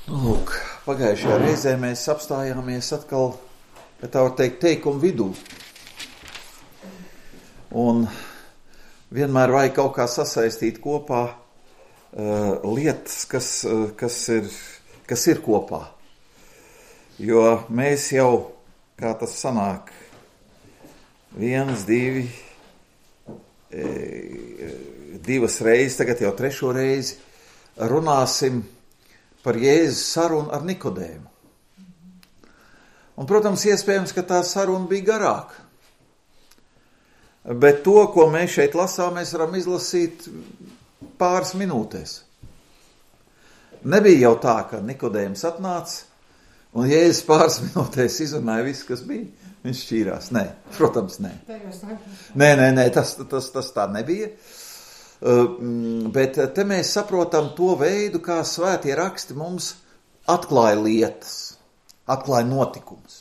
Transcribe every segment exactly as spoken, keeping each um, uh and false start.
Lūk, pagājušajā reizē mēs apstājāmies atkal, ja tā var teikt, teikumu vidū. Un vienmēr vajag kaut kā sasaistīt kopā uh, lietas, kas, uh, kas, ir, kas ir kopā. Jo mēs jau, kā tas sanāk, viens, divi, e, divas reizes, tagad jau trešo reizi, runāsim par Jēzus sarunu ar Nikodēmu. Un, protams, iespējams, ka tā saruna bija garāka. Bet to, ko mēs šeit lasām, mēs varam izlasīt pāris minūtēs. Nebija jau tā, ka Nikodēms atnāca un Jēzus pāris minūtēs izrunāja visu, kas bija. Viņš šķīrās. Nē, protams, nē. Nē, nē, nē, tas, tas, tas tā nebija. Uh, bet te mēs saprotam to veidu, kā svētie raksti mums atklāja lietas, atklāja notikumus.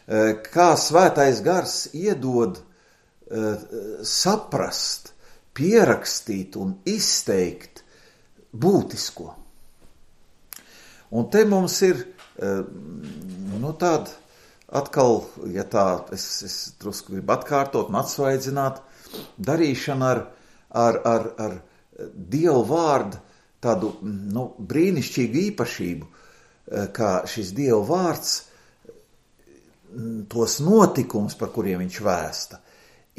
Uh, kā svētais gars iedod uh, saprast, pierakstīt un izteikt būtisko. Un te mums ir uh, nu tāda atkal, ja tā, es, es drusku gribu atkārtot un atsvaidzināt, darīšana ar Ar, ar, ar Dievu vārdu tādu nu, brīnišķīgu īpašību, kā šis Dievu vārds tos notikumus, par kuriem viņš vēsta,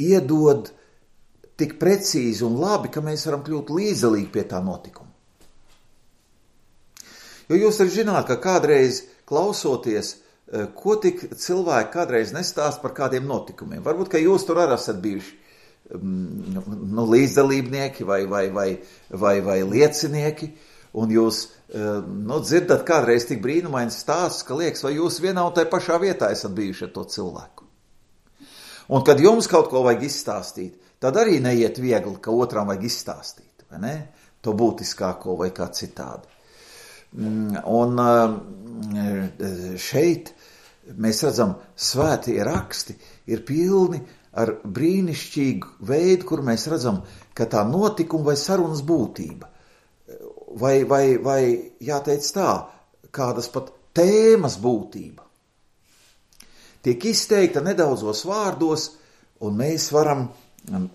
iedod tik precīzi un labi, ka mēs varam kļūt līdzdalīgi pie tā notikuma. Jo jūs arī zināt, ka kādreiz klausoties, ko tik cilvēki kādreiz nestāst par kādiem notikumiem. Varbūt, ka jūs tur arī esat bijuši nu, līdzdalībnieki vai, vai, vai, vai, vai liecinieki, un jūs nu, dzirdat kādreiz tik brīnumains stāsts, ka liekas, vai jūs vienā un tai pašā vietā esat bijuši ar to cilvēku. Un kad jums kaut ko vajag izstāstīt, tad arī neiet viegli, ka otram vajag izstāstīt, vai ne? To būtiskāko vai kā citādi. Un šeit mēs redzam, svētie raksti ir pilni ar brīnišķīgu veidu, kur mēs redzam, ka tā notikuma vai sarunas būtība, vai, vai, vai jāteic tā, kādas pat tēmas būtība, tiek izteikta nedaudzos vārdos, un mēs varam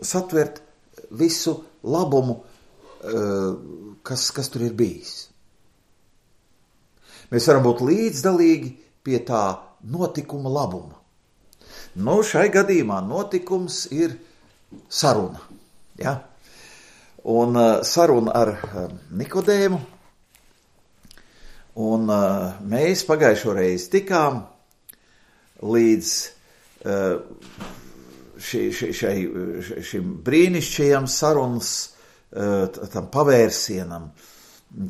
satvert visu labumu, kas, kas tur ir bijis. Mēs varam būt līdzdalīgi pie tā notikuma labuma. Nu, šai gadījumā notikums ir saruna. Ja? Un uh, saruna ar uh, Nikodēmu. Un uh, mēs pagājušo reizi tikām līdz uh, ši, ši, šai, šim brīnišķajam sarunas uh, tam pavērsienam,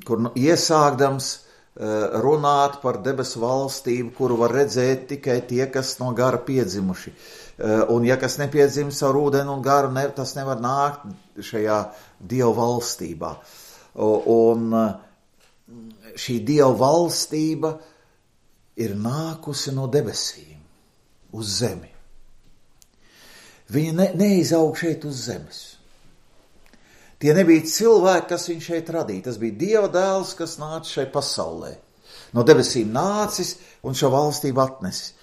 kur nu, iesākdams runāt par debesu valstību, kuru var redzēt tikai tie, kas no gara piedzimuši. Un ja kas nepiedzimis ar ūdeni un garu, ne, tas nevar nākt šajā Dieva valstībā. Un šī Dieva valstība ir nākusi no debesīm uz zemi. Viņa ne, neizaug šeit uz zemes. Tie nebija cilvēki, kas viņu šeit radīja. Tas bija Dieva dēls, kas nāca šai pasaulē. No debesīm nācis un šo valstību atnesis.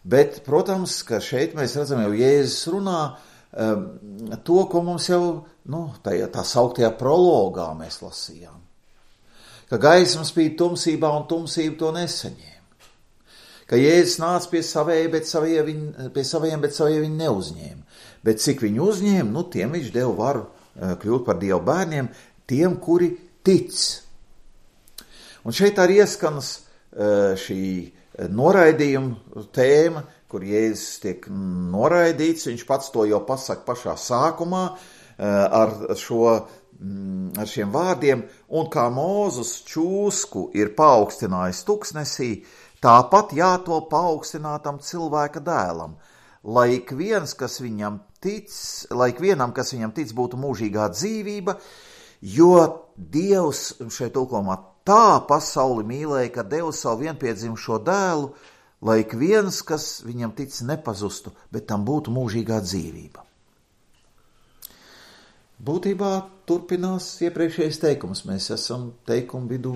Bet, protams, ka šeit mēs redzam jau Jēzus runā um, to, ko mums jau nu, tajā, tā sauktajā prologā mēs lasījām. Ka gaisma spīd tumsībā un tumsība to nesaņēma. Ka Jēzus nāca pie savējiem, bet savie viņi, pie savējiem, bet savie viņi neuzņēma. Bet cik viņi uzņēma, nu tiem viņš deva varu kļūt par Dieva bērniem, tiem, kuri tic. Un šeit arī ieskanas šī noraidījuma tēma, kur Jēzus tiek noraidīts, viņš pats to jau pasaka pašā sākumā ar, šo, ar šiem vārdiem, un kā Mūzes čūsku ir paaugstinājis tuksnesī, tāpat jāto paaugstinātam cilvēka dēlam, lai ik viens, kas viņam tic, lai ik vienam, kas viņam tic, būtu mūžīgā dzīvība, jo Dievs šeit tulkojumā tā pasauli mīlēja, ka deva savu vienpiedzimušo dēlu, lai ik viens, kas viņam tic, nepazustu, bet tam būtu mūžīgā dzīvība. Būtībā turpinās iepriekšējais teikums. Mēs esam teikumu vidū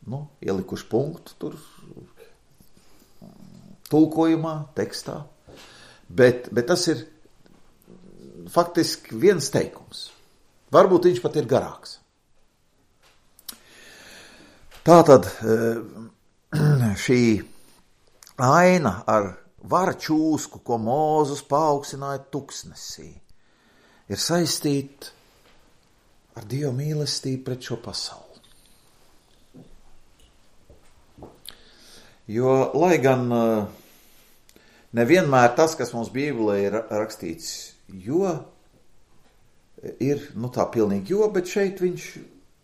nu, ielikuši punktu tur tulkojumā, tekstā, bet, bet tas ir faktiski viens teikums. Varbūt viņš pat ir garāks. Tātad šī aina ar vara čūsku, ko Mūzes paaugstināja tuksnesī, ir saistīta ar Dieva mīlestību pret šo pasauli. Jo, lai gan nevienmēr tas, kas mums Bībelē ir rakstīts, jo ir, nu tā pilnīgi jo, bet šeit viņš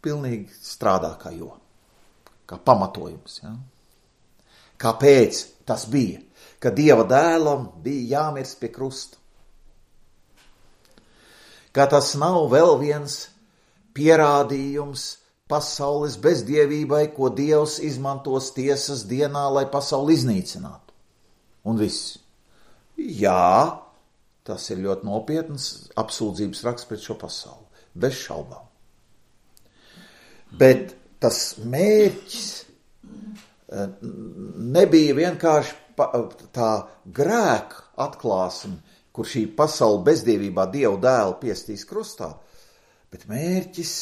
pilnīgi strādā kā jo, kā pamatojums. Ja? Kāpēc tas bija? Ka Dieva dēlam bija jāmirst pie krusta. Ka tas nav vēl viens pierādījums pasaules bezdievībai, ko Dievs izmantos tiesas dienā, lai pasauli iznīcinātu. Un viss. Jā, tas ir ļoti nopietns apsūdzības raksts pret šo pasauli. Bez šaubām. Bet tas mērķis nebija vienkārši tā grēka atklāsme, kur šī pasaule bezdievībā Dievu dēlu piestīs krustā, bet mērķis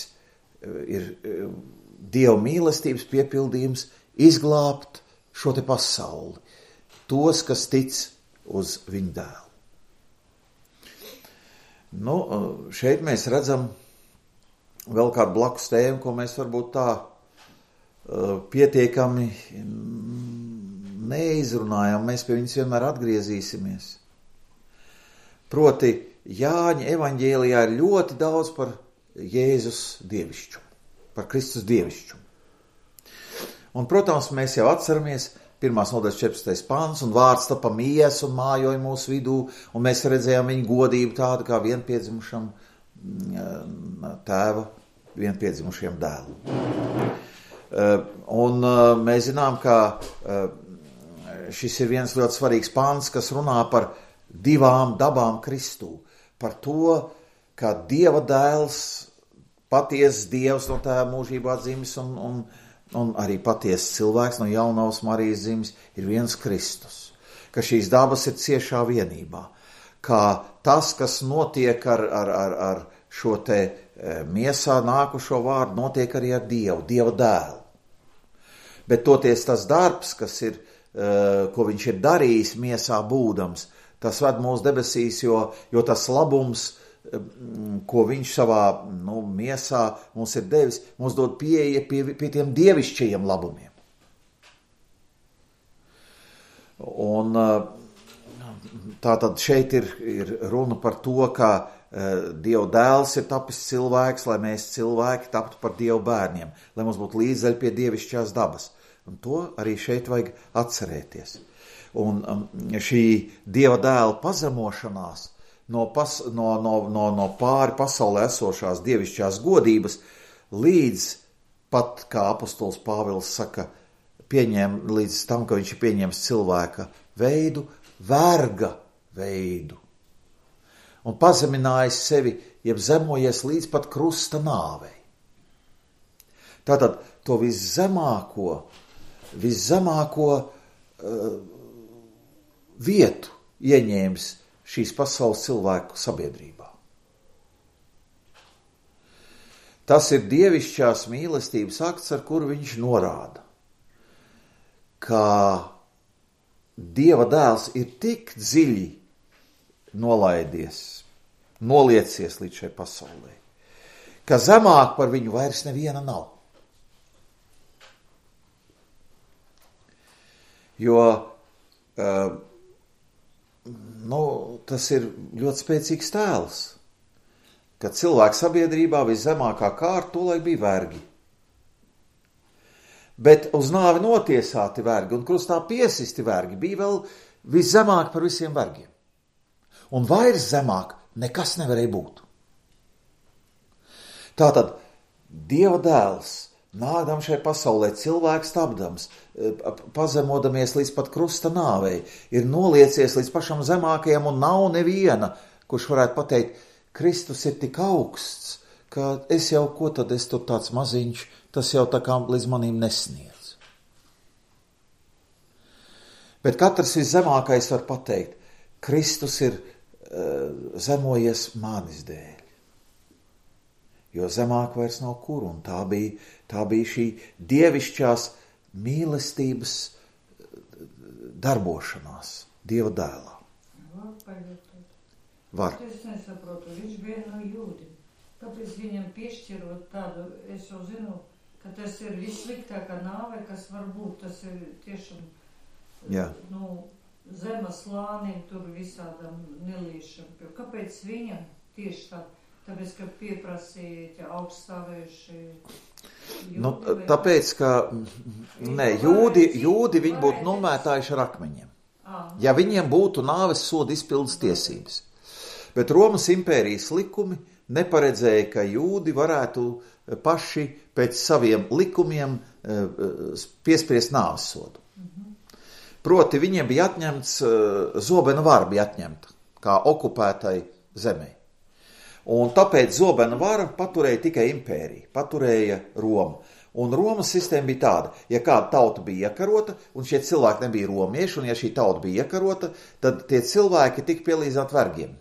ir Dieva mīlestības piepildījums izglābt šo te pasauli, tos, kas tic uz viņu dēlu. Nu, šeit mēs redzam vēl kādu blakus tēmu, ko mēs varbūt tā pietiekami neizrunājam, mēs pie viņas vienmēr atgriezīsimies. Proti, Jāņa evaņģēlijā ir ļoti daudz par Jēzus dievišķumu, par Kristus dievišķumu. Un, protams, mēs jau atceramies pirmās nodaļas četrpadsmitais pants, un vārds tapa mies un mājoja mūsu vidū, un mēs redzējām viņu godību tādu kā vienpiedzimušam tēva, vienpiedzimušiem dēlu. Un mēs zinām, ka šis ir viens ļoti svarīgs pants, kas runā par divām dabām Kristū. Par to, ka Dieva dēls, patiesas Dievs no tēva mūžībā dzimis un, un, un arī patiesas cilvēks no jaunavas Marijas dzimis ir viens Kristus. Ka šīs dabas ir ciešā vienībā. Ka tas, kas notiek ar, ar, ar, ar šo te miesā nākušo vārdu, notiek arī ar Dievu, Dieva dēlu. Bet toties tas darbs, kas ir, ko viņš ir darījis miesā būdams, tas ved mūsu debesīs, jo, jo tas labums, ko viņš savā nu, miesā mums ir devis, mums dod pieeja pie, pie tiem dievišķajiem labumiem. Un tātad šeit ir, ir runa par to, ka Dieva dēls ir tapis cilvēks, lai mēs cilvēki taptu par Dievu bērniem, lai mums būtu līdzdēļ pie dievišķās dabas. Un to arī šeit vajag atcerēties. Un šī Dieva dēla pazemošanās no, pas, no, no, no, no pāri pasaulē esošās dievišķās godības līdz pat, kā apostols Pāvils saka, pieņem, līdz tam, ka viņš ir pieņēmis cilvēka veidu, verga veidu. Un pazeminājis sevi, jeb zemojies līdz pat krusta nāvei. Tātad to viszemāko, viszemāko uh, vietu ieņēmis šīs pasaules cilvēku sabiedrībā. Tas ir dievišķās mīlestības akts, ar kuru viņš norāda, ka Dieva dēls ir tik dziļi nolaidies, noliecies līdz šai pasaulē, ka zemāk par viņu vairs neviena nav. Jo uh, nu, tas ir ļoti spēcīgs tēls, ka cilvēku sabiedrībā viszemākā kārta tolaik bija vergi. Bet uz nāvi notiesāti vergi un krustā piesisti vergi bija vēl viszemāk par visiem vergiem. Un vairs zemāk nekas nevarēja būt. Tātad Dieva dēls, nākdam šai pasaulē, cilvēks tapdams, pazemodamies līdz pat krusta nāvei, ir noliecies līdz pašam zemākajam un nav neviena, kurš varētu pateikt, Kristus ir tik augsts, ka es jau, ko tad es tur tāds maziņš, tas jau tā kā līdz manīm nesniedz. Bet katrs viszemākais var pateikt, Kristus ir uh, zemojies manis dēļ. Jo zemāk vairs nav kur, un tā bija, tā bija šī dievišķās mīlestības darbošanās Dieva dēlā. Var paļauties. Var. Es nesaprotu, viņš bija no jūdim. Kāpēc viņam piešķirot tādu, es jau zinu, ka tas ir vissliktākā nāve, kas var būt, tas ir tiešām, Jā. nu, zemes slānim, tur visādam nelīšam. Kāpēc viņam tieši tā? Tāpēc, ka pieprasīja augststāvējuši jūdi? Nu, tāpēc, ka ne, jūdi, jūdi viņi būtu nomētājuši ar akmeņiem. Ja viņiem būtu nāves soda izpildes tiesības. Bet Romas impērijas likumi neparedzēja, ka jūdi varētu paši pēc saviem likumiem piespriest nāves sodu. Proti viņiem bija atņemts, zobena vara bija atņemta, kā okupētai zemei. Un tāpēc zobena vara paturēja tikai impērija, paturēja Roma. Un Romas sistēma bija tāda, ja kāda tauta bija iekarota, un šie cilvēki nebija romieši, un ja šī tauta bija iekarota, tad tie cilvēki tika pielīdzināti vergiem.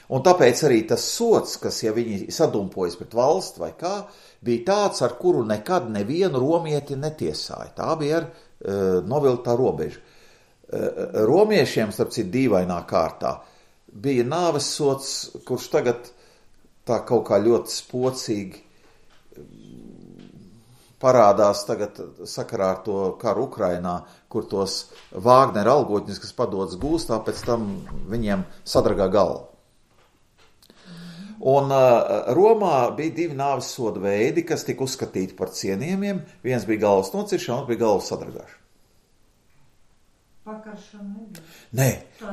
Un tāpēc arī tas sods, kas, ja viņi sadumpojas pret valsti vai kā, bija tāds, ar kuru nekad nevienu romieti netiesāja. Tā bija ar uh, novilktā robeža. Uh, romiešiem, starp citu, dīvainā kārtā, bija nāves sods, kurš tagad tā kaut kā ļoti spocīgi parādās tagad sakarā ar to karu Ukrainā, kur tos Vāgnera algotņus, kas padodas gūstā, pēc tam viņiem sadragā galvu. Un uh, Romā bija divi nāves soda veidi, kas tika uzskatīti par cienījumiem. Viens bija galvas nociršana, otrs bija galvas sadragāšana. Pakaršana nebija. Nē,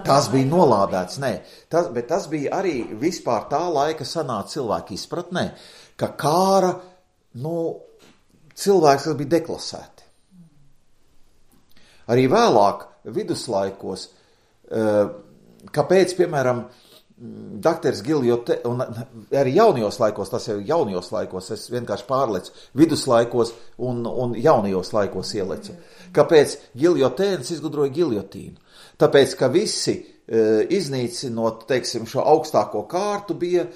tas bija nolādēts, nē. Tas, bet tas bija arī vispār tā laika sanāca cilvēku izpratnē, ka kāra, nu, cilvēks, kas bija deklasēti. Arī vēlāk, viduslaikos, kāpēc, piemēram, Dakters Giljote, un arī jaunajos laikos, tas jau jaunajos laikos, es vienkārši pārlecu, viduslaikos un, un jaunajos laikos ielecu. Kāpēc Giljotēns izgudroja giljotīnu? Tāpēc, ka visi e, iznīcinot, teiksim, šo augstāko kārtu bija e,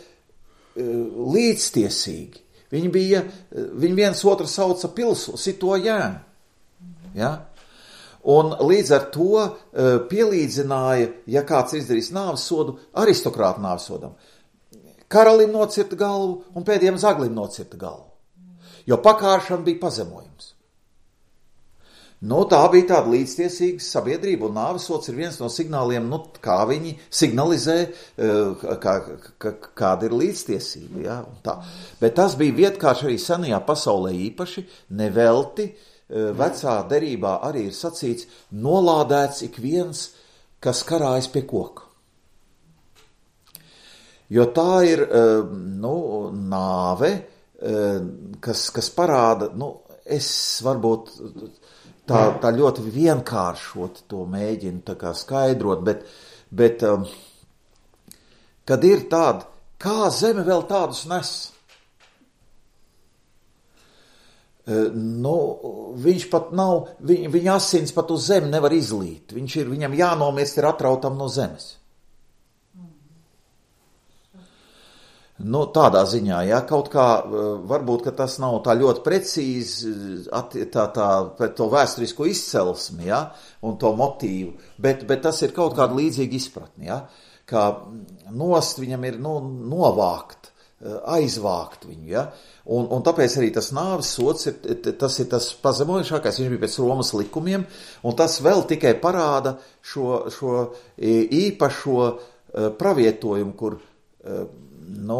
līdztiesīgi. Viņi bija, viņi viens otru sauca pilsu, sito jēnu. Ja? Un līdz ar to uh, pielīdzināja, ja kāds izdarīs nāves sodu, aristokrāta nāves sodam. Karalim nocirta galvu un pēdējiem zaglim nocirta galvu. Jo pakāršana bija pazemojums. Nu, tā bija tāda līdztiesīga sabiedrība, un nāves sods ir viens no signāliem, nu, kā viņi signalizē, uh, kā, kā, kāda ir līdztiesība. Ja? Tā. Bet tas bija vietkārši arī senajā pasaulē īpaši, nevelti. Vecā derībā arī ir sacīts, nolādēts ik viens, kas karājas pie koka. Jo tā ir, nu, nāve, kas, kas parāda, nu, es varbūt tā, tā ļoti vienkāršot to mēģinu tā kā skaidrot, bet, bet kad ir tāda, kā zeme vēl tādus nes? Nu, viņš pat nav, viņ, viņa asins pat uz zemi nevar izlīt. Viņš ir, viņam jānomirst ir atrautam no zemes. Nu, tādā ziņā, ja, kaut kā, varbūt, ka tas nav tā ļoti precīzi at, tā, tā, pret to vēsturisko izcelsmi, ja, un to motīvu, bet, bet tas ir kaut kāda līdzīga izpratne, ja, kā nost viņam ir, nu, novākt, aizvākt viņu, ja, un, un tāpēc arī tas nāves sods ir, tas ir tas pazemojušākais, viņš bija pēc Romas likumiem, un tas vēl tikai parāda šo, šo īpašo pravietojumu, kur, nu,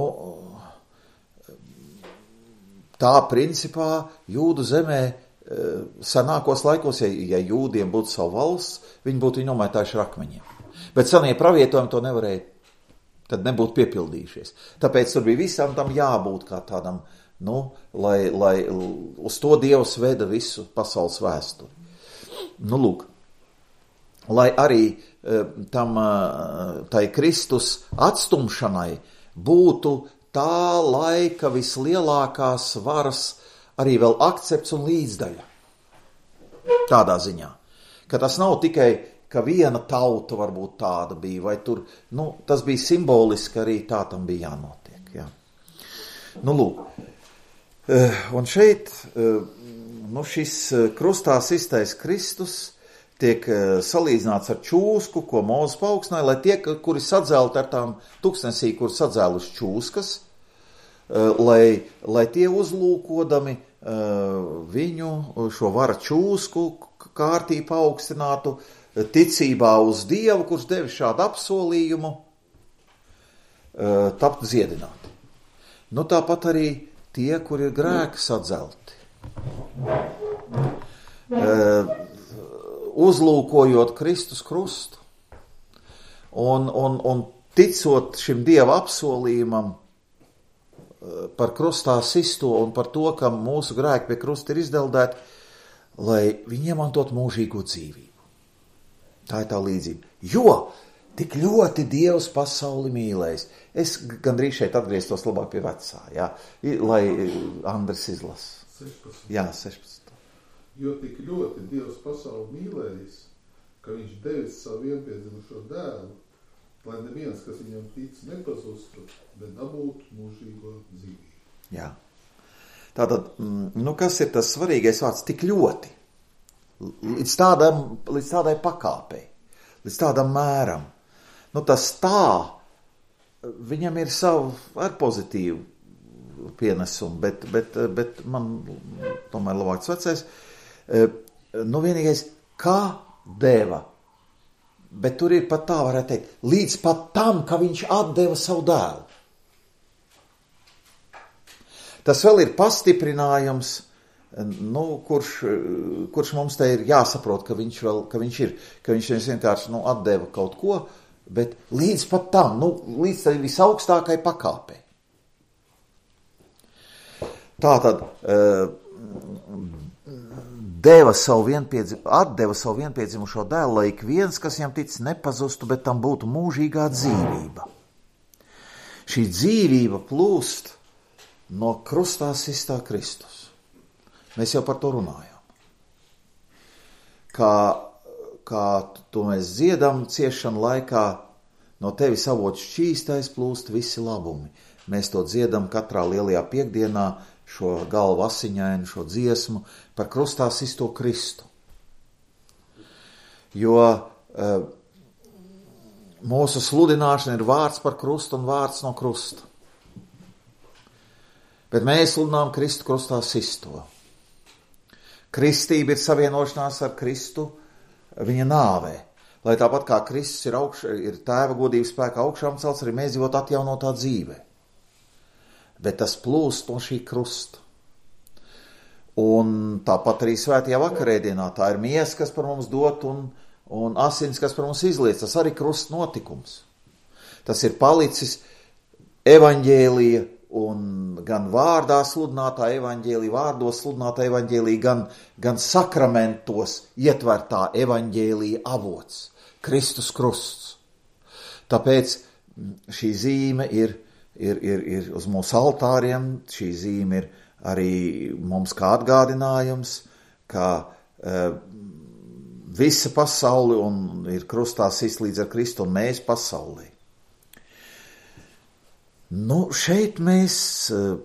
tā principā jūdu zemē senākos laikos, ja, ja jūdiem būtu savu valsts, viņi būtu viņu nomētājuši ar akmeņiem. Bet senie pravietojumi to nevarēja, tad nebūtu piepildījušies. Tāpēc tur bija visam tam jābūt kā tādam, nu, lai, lai uz to Dievs veda visu pasaules vēsturi. Nu, lūk, lai arī tam, tai Kristus atstumšanai būtu tā laika vislielākās varas arī vēl akcepts un līdzdaļa. Tādā ziņā, ka tas nav tikai, ka viena tauta varbūt tāda bija, vai tur, nu, tas bija simboliski, arī tā tam bija jānotiek, jā. Nu, lūk, un šeit, nu, šis krustā sistais Kristus tiek salīdzināts ar čūsku, ko Mūzes paaugstināja, lai tie, kuri sadzēlti ar tām tuksnesī, kur sadzēluši čūskas, lai, lai tie uzlūkodami viņu šo vara čūsku kārtī paaugstinātu, ticībā uz Dievu, kurš devis šādu apsolījumu, tapt dziedināti. Nu, tāpat arī tie, kuri ir grēki sadzelti. Uzlūkojot Kristus krustu un, un, un ticot šim Dieva apsolījumam par krustā sisto un par to, ka mūsu grēki pie krusta ir izdeldēti, lai viņi iemantot mūžīgo dzīvību. Tā ir tā līdzība. Jo tik ļoti Dievs pasauli mīlējis. Es gandrīz šeit atgrieztos labāk pie vecā, jā, lai Andris izlasa. sešpadsmit. Jā, sešpadsmit. Jo tik ļoti Dievs pasauli mīlējis, ka viņš devis savu vienpiedzimušo dēlu, lai neviens, kas viņam tic, nepazustu, bet dabūtu mūžīgo dzīvību. Jā. Tātad, nu kas ir tas svarīgais vārds? Tik ļoti. Līdz, tādam, līdz tādai pakāpei, līdz tādam mēram. Nu tas tā, viņam ir savu ar pozitīvu pienesumu, bet, bet, bet man tomēr labāks vecais. Nu vienīgais, kā deva, bet tur ir pat tā, varētu teikt, līdz pat tam, ka viņš atdeva savu dēlu. Tas vēl ir pastiprinājums, nu, kurš, kurš mums te ir jāsaprot, ka viņš vēl, ka viņš ir, ka viņš vienkārši, nu, atdeva kaut ko, bet līdz pat tam, nu, līdz tai visaugstākai pakāpei. Tātad, deva savu vienpiedzim, atdeva savu vienpiedzimušo dēlu, lai ik viens, kas viņam tic, nepazustu, bet tam būtu mūžīgā dzīvība. Šī dzīvība plūst no krustā sistā Kristus. Mēs jau par to runājām. Kā, kā to mēs dziedam ciešanu laikā, no tevis avots šķīstais plūst visi labumi. Mēs to dziedam katrā lielajā piekdienā, šo galvu asiņainu, šo dziesmu par krustā sisto Kristu. Jo e, mūsu sludināšana ir vārds par krustu un vārds no krusta. Bet mēs sludinām Kristu krustā sisto. Kristība ir savienošanās ar Kristu viņa nāvē. Lai tāpat kā Kristus ir, augš, ir tēva godības spēkā augšām celts, arī mēs dzīvot atjaunotā dzīvē. Bet tas plūst no šī krusta. Un tāpat arī svētajā vakarēdienā tā ir miesa, kas par mums dot, un, un asins, kas par mums izliec. Tas arī krusta notikums. Tas ir palicis evaņģēlija un gan vārdā sludinātā evaņģēlija, vārdos sludinātā evaņģēlija, gan, gan sakramentos ietvertā evaņģēlija avots, Kristus krusts. Tāpēc šī zīme ir, ir, ir, ir uz mūsu altāriem, šī zīme ir arī mums kā atgādinājums, ka e, visa pasauli un ir krustā sist līdz ar Kristu un mēs pasaulī. Nu, šeit mēs uh,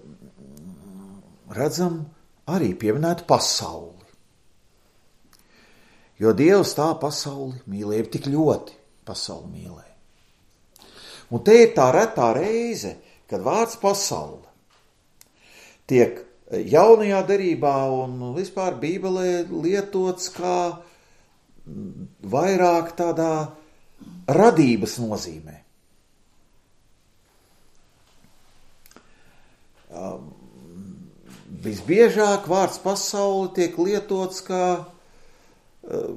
redzam arī pieminētu pasauli. Jo Dievs tā pasauli mīlēja, tik ļoti pasauli mīlēja. Un te ir tā retā reize, kad vārds pasaule tiek jaunajā derībā un vispār Bībelē lietots kā vairāk tādā radības nozīmē. Visbiežāk vārds pasauli tiek lietots kā uh,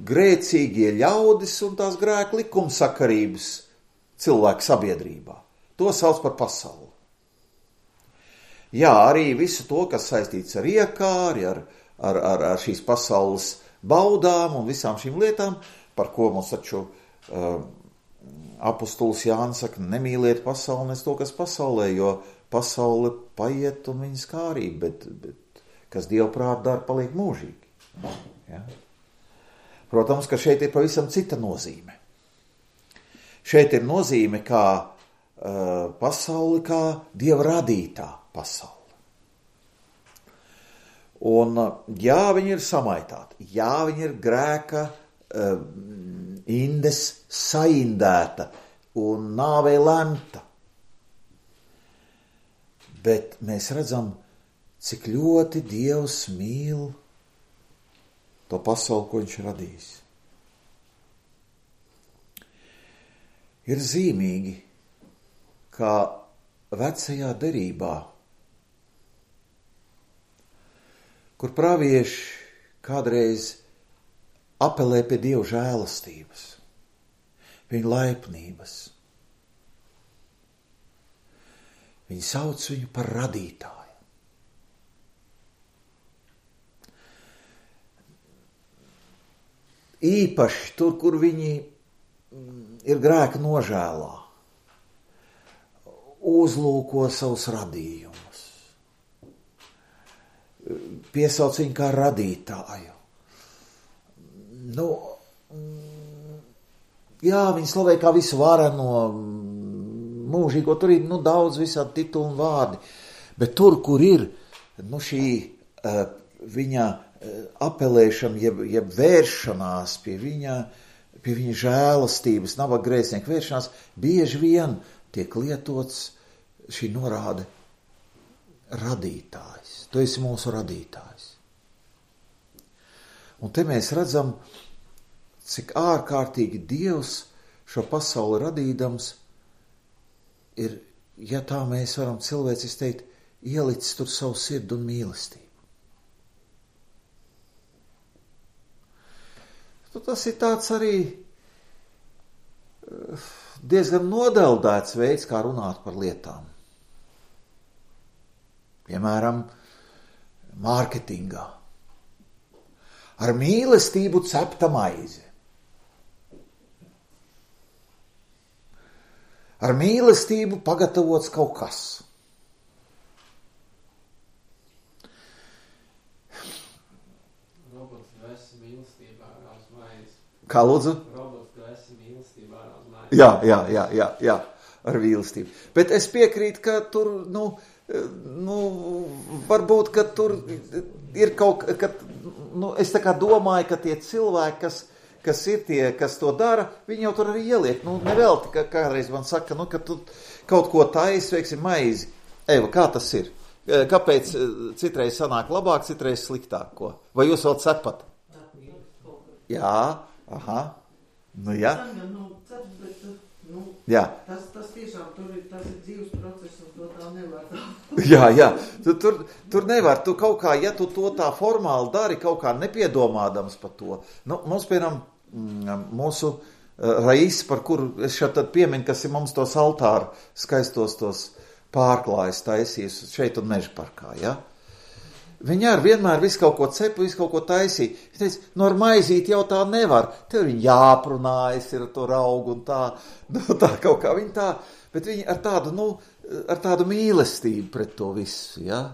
grēcīgie ļaudis un tās grēka likumsakarības cilvēku sabiedrībā. To sauc par pasauli. Jā, arī visu to, kas saistīts ar iekāri, ar, ar, ar, ar šīs pasaules baudām un visām šīm lietām, par ko mums taču uh, apostols Jānis saka, nemīliet pasauli, nes to, kas pasaulē, jo pasaule paiet un viņas kārība, bet, bet kas Dievu prāt dara, paliek mūžīgi. Ja? Protams, ka šeit ir pavisam cita nozīme. Šeit ir nozīme kā uh, pasauli, kā Dieva radītā pasauli. Un jā, viņi ir samaitāti, jā, viņi ir grēka uh, indes saindēta un nāvei lemta. Bet mēs redzam, cik ļoti Dievs mīl to pasauli, ko viņš radīs. Ir zīmīgi, kā vecajā derībā, kur pravieši kādreiz apelē pie Dieva žēlastības, viņa laipnības. Viņi sauc viņu par radītāju. Īpaši tur, kur viņi ir grēka nožēlā, uzlūko savus radījumus, piesauc viņu kā radītāju. Nu, jā, viņi slavē kā visu vareno, mūžīgo, tur ir nu, daudz visādi tituli un vārdi, bet tur, kur ir nu, šī uh, viņa uh, apelēšana, jeb, jeb vēršanās pie viņa, pie viņa žēlastības, nabaga grēcinieku vēršanās, bieži vien tiek lietots šī norāde radītājs. Tu esi mūsu radītājs. Un te mēs redzam, cik ārkārtīgi Dievs šo pasauli radīdams ir, ja tā mēs varam cilvēcis teikt, ielicis tur savu sirdu un mīlestību. Tu, tas ir tāds arī diezgan nodeldēts veids, kā runāt par lietām. Piemēram, mārketingā. Ar mīlestību cepta maize. Ar mīlestību pagatavots kaut kas. Robots, tu esi mīlestībā ārā uz maizi. Kā lūdzu? Robots, tu esi mīlestībā ārā uz maizi. Jā, jā, jā, jā, jā, ar mīlestību. Bet es piekrītu, ka tur, nu, nu, varbūt, ka tur ir kaut, ka, nu, es tā kā domāju, ka tie cilvēki, kas kas ir tie, kas to dara, viņi jau tur arī ieliek. Nu, nevelti, ka kādreiz man saka, nu, ka tu kaut ko taisi, veiksim, maizi. Eva, kā tas ir? Kāpēc citreiz sanāk labāk, citreiz sliktāk? Ko? Vai jūs vēl cepat? Jā, aha. Nu, jā. Jā. Tas, tas tiešām tur ir, tas ir dzīves process, un to tā nevar. Jā, jā. Tu, tur, tur nevar. Tu kaut kā, ja tu to tā formāli dari, kaut kā nepiedomādams par to. Nu, mums, piemēram, mūsu Rais, par kuru es šeit tad pieminu, kas ir mums tos altāru skaistos tos pārklājus taisījis šeit un Meža parkā, ja? Viņi ar vienmēr visu kaut ko cepu, visu kaut ko taisīja. Viņš teica, no ar maizīti jau tā nevar. Tev viņi jāprunājas ir ar to raugu un tā, nu, tā kaut kā viņi tā, bet viņi ar tādu, nu, ar tādu mīlestību pret to visu, ja?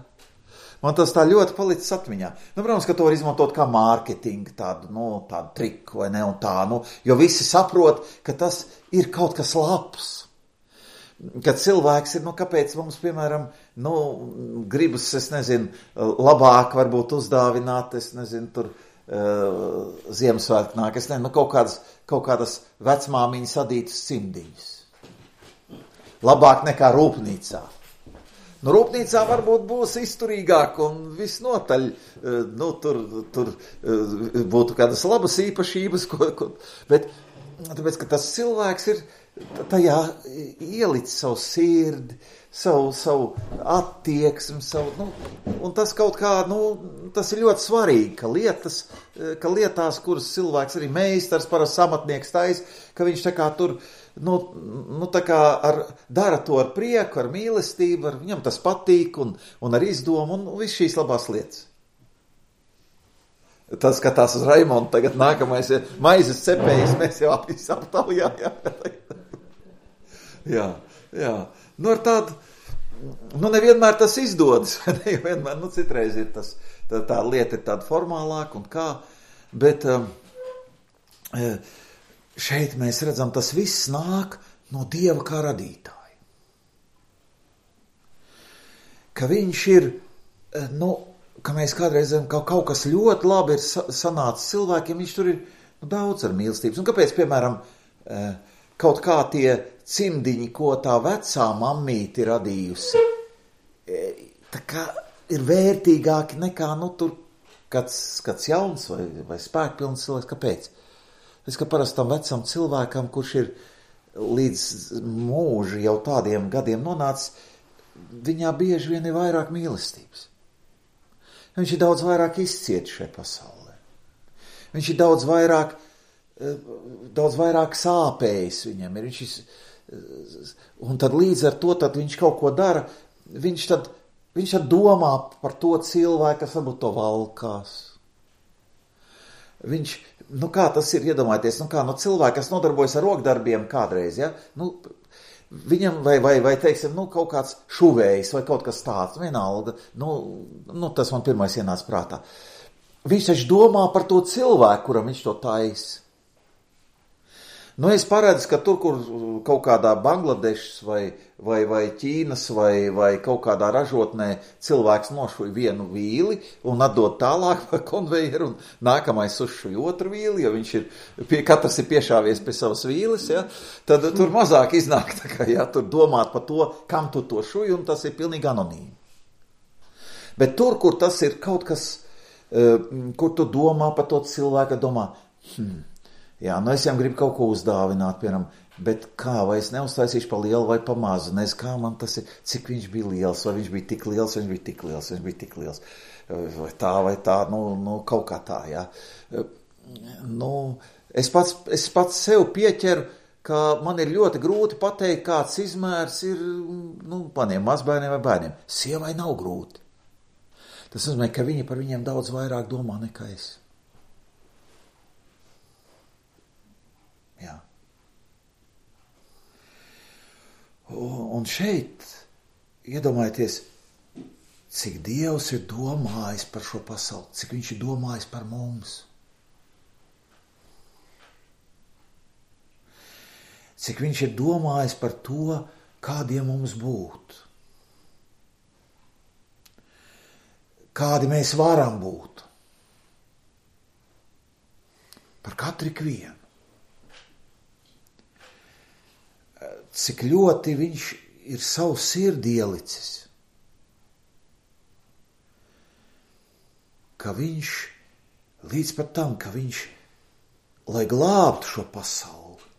Man tas tā ļoti palicis atmiņā. Nu, protams, ka to var izmantot kā mārketingu, tādu, nu, tādu triku, vai ne, un tā, nu, jo visi saprot, ka tas ir kaut kas labs. Kad cilvēks ir, nu, kāpēc mums, piemēram, nu, gribas, es nezinu, labāk varbūt uzdāvināt, es nezinu, tur uh, Ziemassvētku nāk, es nezinu, nu, kaut kādas, kaut kādas vecmāmiņas adītas cimdiņas. Labāk nekā rūpnīcā. Nu, rūpnīcā varbūt būs izturīgāk un visnotaļ, nu, tur, tur būtu kādas labas īpašības, ko, ko, bet tāpēc, ka tas cilvēks ir tajā ielicis savu sirdi, savu, savu attieksmi, savu, nu, un tas kaut kā, nu, tas ir ļoti svarīgi, ka lietas, ka lietās, kuras cilvēks arī meistars, parasti amatnieks tais, ka viņš tā kā tur, nu, nu tā kā ar, dara to ar prieku, ar mīlestību, ar, viņam tas patīk un, un ar izdomu un viss šīs labās lietas. Tas skatās uz Raimondu, tagad nākamais ir maizes cepējs, mēs jau aptaujām. jā, jā. Nu, ar tādu, nu, nevienmēr tas izdodas, ne, vienmēr, nu, citreiz ir tas, tā, tā lieta ir tāda formālāka un kā, bet um, šeit mēs redzam, tas viss nāk no Dieva kā radītāja. Ka viņš ir, nu, ka mēs kādreiz redzam, ka kaut kas ļoti labi ir sanācis cilvēkiem, viņš tur ir nu, daudz ar mīlestības. Un kāpēc, piemēram, kaut kā tie cimdiņi, ko tā vecā mammīti radījusi, tā kā ir vērtīgāki nekā, nu, tur kāds, kāds jauns vai, vai spēkpilns cilvēks. Kāpēc? Es, ka parastam vecam cilvēkam, kurš ir līdz mūži jau tādiem gadiem nonācis, viņā bieži vien ir vairāk mīlestības. Viņš ir daudz vairāk izcietis šai pasaulē. Viņš ir daudz vairāk, daudz vairāk sāpējis viņam. Ir, viņš ir, un tad līdz ar to tad viņš kaut ko dara, viņš tad, viņš tad domā par to cilvēku, kas varbūt to valkās. Viņš, nu kā tas ir, iedomājieties, nu kā, nu cilvēki, kas nodarbojas ar rokdarbiem kādreiz, ja, nu, viņam vai, vai, vai teiksim, nu kaut kāds šuvējs vai kaut kas tāds, vienalga, nu, nu tas man pirmais ienāca prātā. Viņš taču domā par to cilvēku, kuram viņš to taisa. Nu, es paredzu, ka tur, kur kaut kādā Bangladešas vai, vai, vai Ķīnas vai, vai kaut kādā ražotnē cilvēks nošuj vienu vīli un atdod tālāk pa konvejeru un nākamais uzšuj otru vīli, jo viņš ir, pie, katrs ir piešāvies pie savas vīles, ja, tad tur mazāk iznāk, tā kā, ja, tur domāt par to, kam tu to šuj, un tas ir pilnīgi anonīmi. Bet tur, kur tas ir kaut kas, kur tu domā par to cilvēku, domā, hmm, jā, nu es jau gribu kaut ko uzdāvināt, piemēram, bet kā, vai es neuztaisīšu pa lielu vai pa mazu, nezinu, kā man tas ir, cik viņš bija liels, vai viņš bija tik liels, vai viņš bija tik liels, vai viņš bija tik liels, vai tā, vai tā, nu, nu kaut kā tā, jā. Nu, es pats, es pats sev pieķeru, ka man ir ļoti grūti pateikt, kāds izmērs ir, nu, maniem mazbērniem vai bērniem. Sievai nav grūti. Tas nozīmē, ka viņi par viņiem daudz vairāk domā nekā es. Jā. Un šeit, iedomājieties, cik Dievs ir domājis par šo pasauli, cik viņš ir domājis par mums. Cik viņš ir domājis par to, kādiem mums būt. Kādi mēs varam būt. Par katru ikvienu. Cik ļoti viņš ir savu sirdi ielicis. Ka viņš, līdz pat tam, ka viņš, lai glābtu šo pasauli,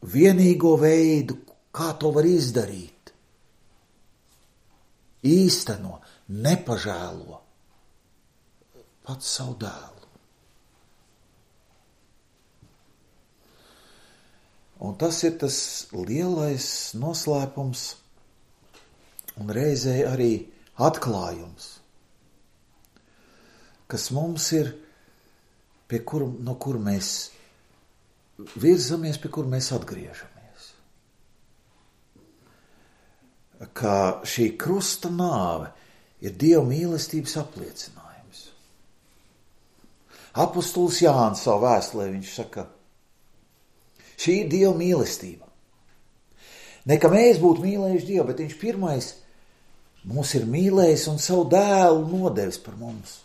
vienīgo veidu, kā to var izdarīt, īsteno, nepažēlo pats savu dēlu. Un tas ir tas lielais noslēpums un reizē arī atklājums, kas mums ir, pie kur, no kur mēs virzamies, pie kur mēs atgriežamies. Ka šī krusta nāve ir Dieva mīlestības apliecinājums. Apostols Jānis savu vēstulē viņš saka, šī ir Dieva mīlestība. Ne ka mēs būtu mīlējuši Dievu, bet viņš pirmais mūs ir mīlējis un savu dēlu nodevis par mums.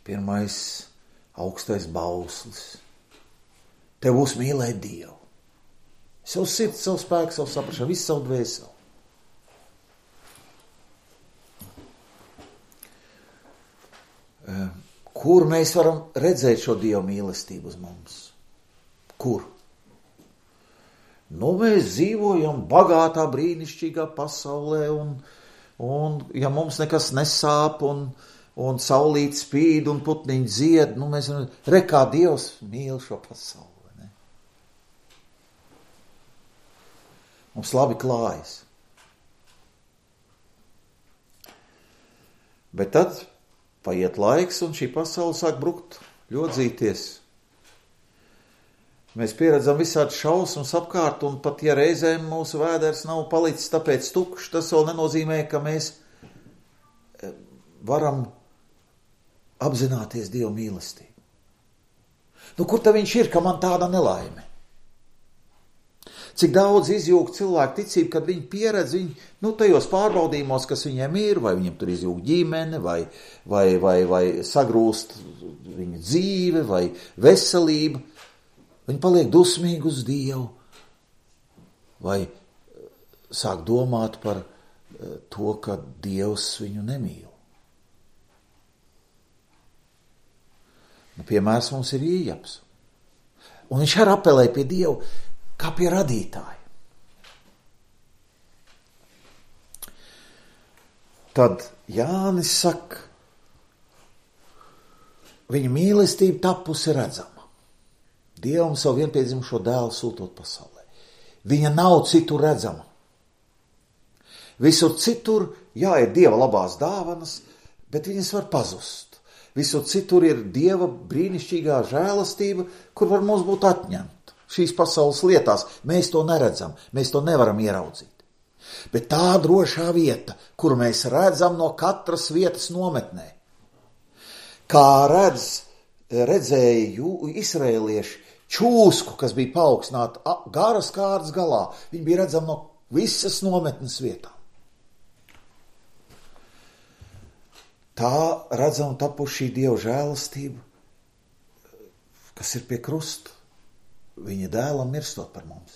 Pirmais augstais bauslis. Tev būs mīlēt Dievu. Savu sirdi, savu spēku, savu saprašanu, visu savu dvēseli. Kur mēs varam redzēt šo Dieva mīlestību uz mums? Kur? Nu, mēs dzīvojam bagātā, brīnišķīgā pasaulē, un, un ja mums nekas nesāp, un, un saulīt spīd, un putniņi dzied, nu, mēs varam, re, kā Dievs mīl šo pasauli. Mums labi klājas. Bet tad paiet laiks, un šī pasaule sāk brukt, ļodzīties. Mēs pieredzam visādi šausmas apkārt, un pat ja reizēm mūsu vēders nav palicis tāpēc tukšs, tas vēl nenozīmē, ka mēs varam apzināties Dieva mīlestību. Nu, kur tad viņš ir, ka man tāda nelaime? Cik daudz izjūg cilvēku ticību, kad viņi pieredz viņu, nu, tajos pārbaudījumos, kas viņiem ir, vai viņiem tur izjūg ģimene, vai, vai, vai, vai sagrūst viņa dzīve, vai veselība. Viņi paliek dusmīgi uz Dievu, vai sāk domāt par to, ka Dievs viņu nemīl. Nu, piemērs mums ir Ījabs. Un viņš arī apelē pie Dievu, kā pie radītāja. Tad Jānis saka, viņa mīlestība tapusi redzama. Dievam savu vienpiedzimušo dēlu sūtot pasaulē. Viņa nav citur redzama. Visur citur, jā, ir Dieva labās dāvanas, bet viņas var pazust. Visur citur ir Dieva brīnišķīgā žēlastība, kur var mums būt atņemta. Šīs pasaules lietās mēs to neredzam, mēs to nevaram ieraudzīt. Bet tā drošā vieta, kuru mēs redzam no katras vietas nometnē, kā redz, redzēja jū, izraēlieši čūsku, kas bija paaugstināta garas kārtas galā, viņi bija redzami no visas nometnes vietām. Tā redzam tapuši šī Dieva žēlastība, kas ir pie krusta. Viņa dēlam mirstot par mums.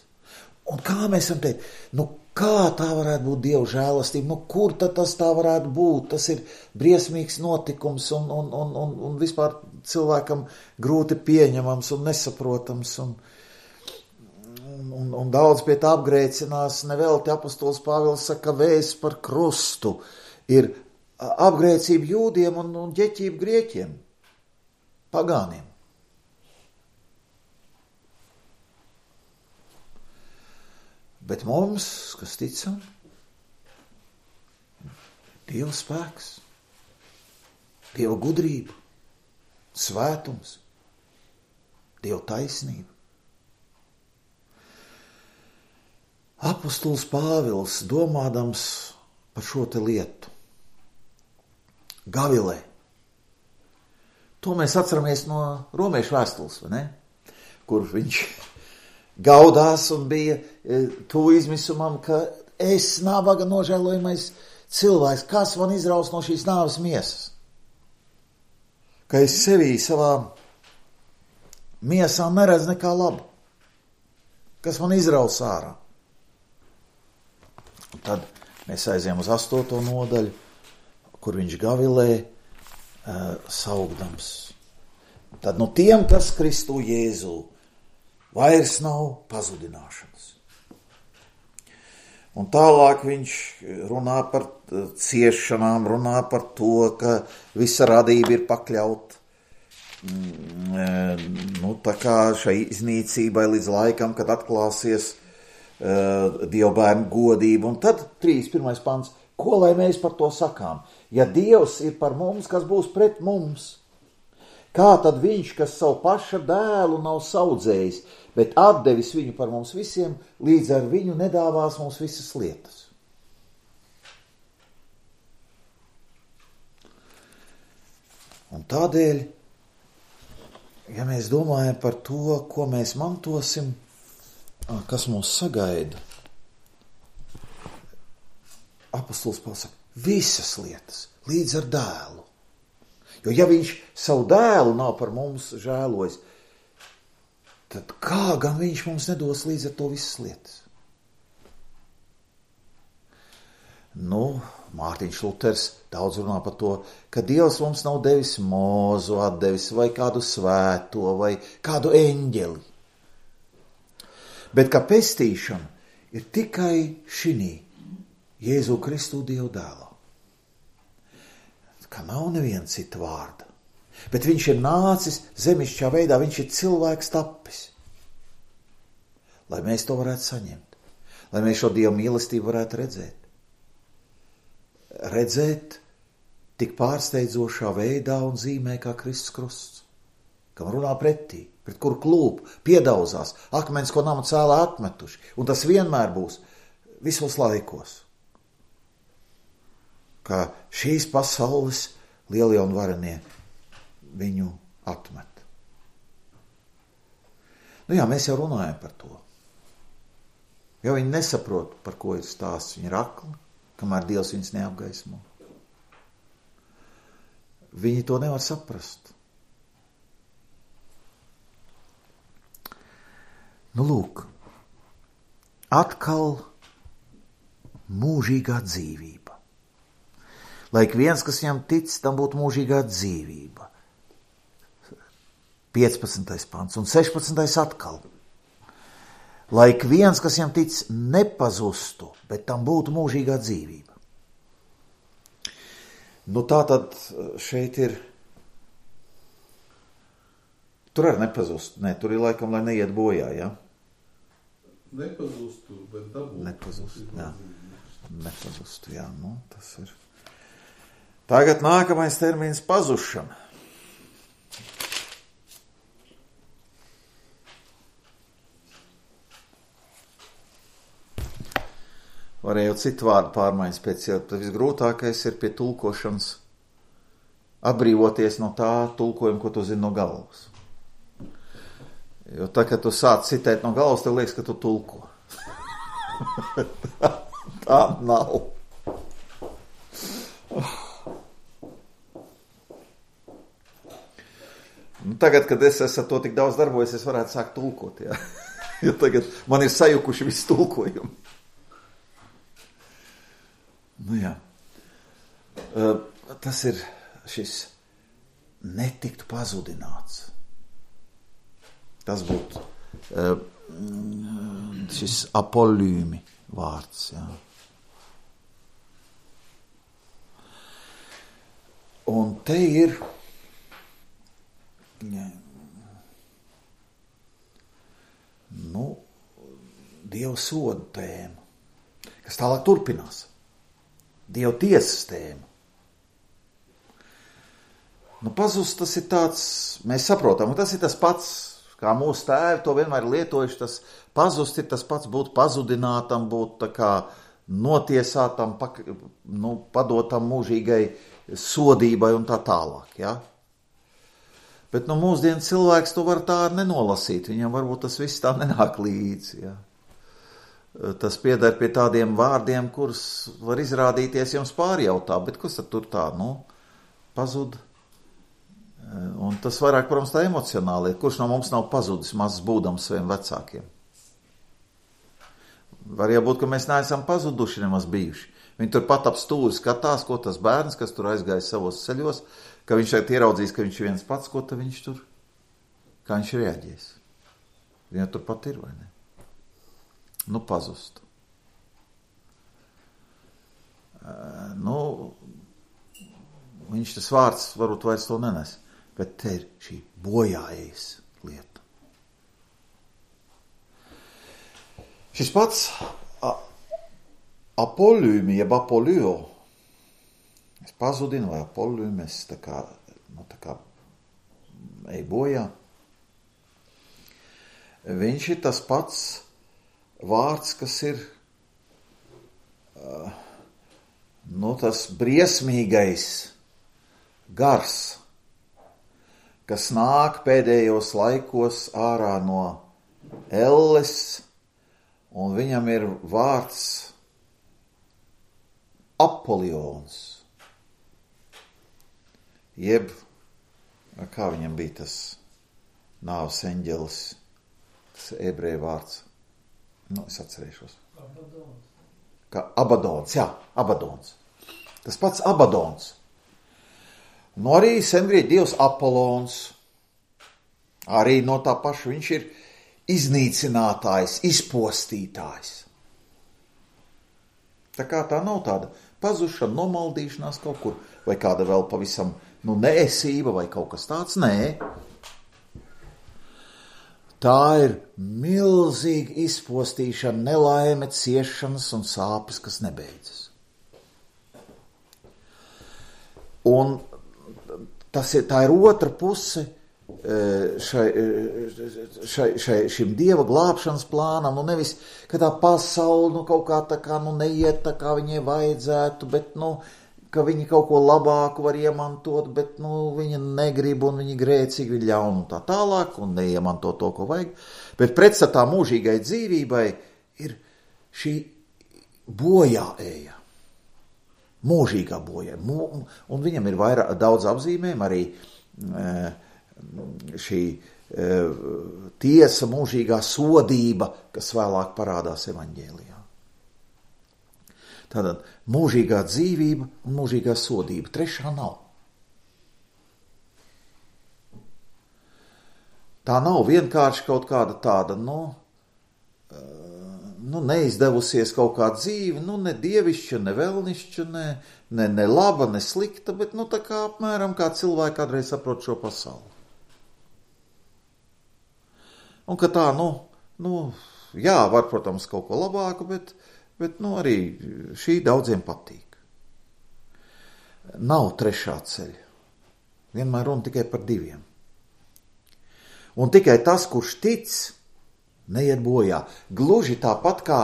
Un kā mēs varam teikt, nu kā tā varētu būt Dieva žēlastība, nu kur tad tas tā varētu būt, tas ir briesmīgs notikums un, un, un, un, un vispār cilvēkam grūti pieņemams un nesaprotams un, un, un daudz pie tā apgrēcinās, nevelti apostols Pāvils saka, vēsts par krustu ir apgrēcība jūdiem un, un ģeķība grieķiem, pagāniem. Bet mums, kas ticam, Dieva spēks, Dieva gudrība, svētums, Dieva taisnība. Apostols Pāvils, domādams par šo te lietu, Gavilē. To mēs atceramies no Romiešu vēstules, vai ne? Kur viņš gaudās un bija tuvu izmisumam, ka es nabaga nožēlojamais cilvēks, kas man izraus no šīs nāves miesas? Ka es sevī savā miesā neredz nekā labu, kas man izraus ārā. Un tad mēs aizējām uz astoto nodaļu, kur viņš Gavilē uh, saugdams. Tad no tiem, kas Kristu Jēzu, vairs nav pazudināšanas. Un tālāk viņš runā par ciešanām, runā par to, ka visa radība ir pakļaut nu, tā kā šai iznīcībai līdz laikam, kad atklāsies uh, Dievbērnu godība. Un tad trīsdesmit pirmais pants, ko lai mēs par to sakām? Ja Dievs ir par mums, kas būs pret mums? Kā tad viņš, kas savu paša dēlu nav saudzējis, bet atdevis viņu par mums visiem, līdz ar viņu nedāvās mums visas lietas? Un tādēļ, ja mēs domājam par to, ko mēs mantosim, kas mūs sagaida, apostols Pāvils saka, visas lietas, līdz ar dēlu. Jo ja viņš savu dēlu nav par mums žēlojis, tad kā gan viņš mums nedos līdz ar to visas lietas? Nu, Mārtiņš Luters daudz runā par to, ka Dievs mums nav devis Mūzu atdevis vai kādu svēto vai kādu eņģeli. Bet kā pestīšana ir tikai šinī Jēzu Kristu Dievu dēlā. Ka nav neviena cita vārda. Bet viņš ir nācis zemišķā veidā, viņš ir cilvēks tapis. Lai mēs to varētu saņemt. Lai mēs šo Dieva mīlestību varētu redzēt. Redzēt tik pārsteidzošā veidā un zīmē kā Kristus krusts, kam runā pretī, pret kuru klūp, piedauzās, akmens, ko nama cēlā atmetuši, un tas vienmēr būs visos laikos, kā šīs pasaules lielie un varenie viņu atmet. Nu jā, mēs jau runājam par to. Jo viņi nesaprot, par ko ir stāsts, viņi ir akli, kamēr Dievs viņus neapgaismo. Viņi to nevar saprast. Nu lūk, atkal mūžīgā dzīvība. Lai ik viens, kas viņam tic, tam būtu mūžīgā dzīvība. piecpadsmitais pants un sešpadsmitais atkal. Lai ik viens, kas viņam tic, nepazustu, bet tam būtu mūžīgā dzīvība. Nu tā tad šeit ir, tur arī nepazust, ne, tur ir laikam, lai neiet bojā, ja? Nepazustu, bet dabūtu. Nepazustu, jā. Nepazustu, jā, nu tas ir. Tagad nākamais termins pazušana. Varēja jau citu vārdu pārmaiņas pēc, jo visgrūtākais ir pie tulkošanas atbrīvoties no tā tulkojuma, ko tu zini no galvas. Jo tā, kad tu sāc citēt no galvas, tev liekas, ka tu tulko. tā, tā nav. Nu, tagad, kad es esmu to tik daudz darbojies, es varētu sākt tulkot, jā. Jo tagad man ir sajukuši visi tulkojumi. Nu jā, uh, tas ir šis netiktu pazudināts. Tas būtu uh, šis apolīmi vārds, jā. Un te ir jā, nu, Dieva soda tēma, kas tālāk turpinās. Dieva tiesas tēma. Nu, pazust tas ir tāds, mēs saprotam, un tas ir tas pats, kā mūsu tēvi to vienmēr lietojuši, tas pazust ir tas pats būt pazudinātam, būt tā kā notiesātam, pak, nu, padotam mūžīgai sodībai un tā tālāk, ja? Bet nu mūsdienu cilvēks to var tā nenolasīt, viņam varbūt tas viss tā nenāk līdzi, ja? Tas pieder pie tādiem vārdiem, kurus var izrādīties jums pārjautā, bet kas tad tur tā, nu, pazud? Un tas vairāk, protams, tā emocionāli ir. Kurš no mums nav pazudis mazs būdams saviem vecākiem? Var jau būt, ka mēs neesam pazuduši nemaz bijuši. Viņi tur pat ap stūri skatās, ko tas bērns, kas tur aizgāja savos ceļos, ka viņš šeit ieraudzīs, ka viņš ir viens pats, ko tad viņš tur, kā viņš reaģēs. Viņa tur pat ir, vai ne? Nu, pazust. Uh, nu, viņš tas vārds varbūt vairs to nenes, bet te ir šī bojājas lieta. Šis pats a, apolīmi, jeb apolio, es pazudinu vai apolīmi, es tā kā, nu, tā kā ej bojā. Viņš ir tas pats vārds, kas ir uh, nu, tas briesmīgais gars, kas nāk pēdējos laikos ārā no elles, un viņam ir vārds Apolions. Jeb, kā viņam bija tas nāves eņģelis, tas ebreju vārds. Nu, es atcerēšos. Abadons. Kā Abadons, jā, Abadons. Tas pats Abadons. Nu, arī sengrieķu dievs Apolons. Arī no tā paša viņš ir iznīcinātājs, izpostītājs. Tā kā tā nav tāda pazušana, nomaldīšanās kaut kur, vai kāda vēl pavisam, nu, neesība vai kaut kas tāds, nē. Tā ir milzīga izpostīšana, nelaime, ciešanas un sāpes, kas nebeidzas. Un tas ir, tā ir otra puse šai, šai, šai, šim Dieva glābšanas plānam, nu nevis, ka tā pasaule nu, kaut kā tā kā nu, neiet tā kā viņai vajadzētu, bet nu, ka viņi kaut ko labāku var iemantot, bet nu, viņi negrib un viņi grēcīgi, viņi ļaun un tā tālāk un neiemanto to, ko vajag. Bet pretstatā mūžīgai dzīvībai ir šī bojā eja. Mūžīgā bojā. Un viņam ir vairāk, daudz apzīmēm arī šī tiesa, mūžīgā sodība, kas vēlāk parādās evaņģēlijā. Tātad mūžīgā dzīvība un mūžīgā sodība. Trešā nav. Tā nav vienkārši kaut kāda tāda, nu, nu neizdevusies kaut kā dzīve, nu ne dievišķa, ne velnišķa, ne, ne, ne laba, ne slikta, bet nu tā kā apmēram kā cilvēki kādreiz saprot šo pasauli. Un ka tā, nu, nu, jā, var, protams, kaut ko labāku, bet, bet nu arī šī daudziem patīk. Nav trešā ceļa. Vienmēr runa tikai par diviem. Un tikai tas, kurš tic, neiet bojā. Gluži tāpat kā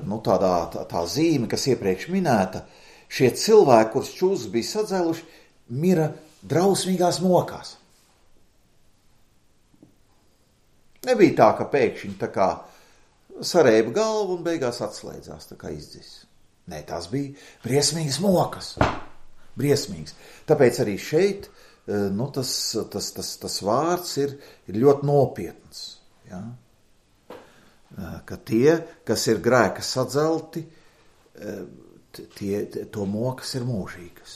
nu, tādā, tā, tā zīme, kas iepriekš minēta, šie cilvēki, kurus čūskas bija sadzēluši, mira drausmīgās mokās. Nebija tā, ka pēkšņi tā kā sarēba galvu un beigās atslēdzās, tā kā izdzis. Nē, tās bija briesmīgas mokas. Briesmīgas. Tāpēc arī šeit nu, tas, tas, tas, tas vārds ir, ir ļoti nopietns. Ja? Ka tie, kas ir grēka sadzelti, tie, to mokas ir mūžīgas.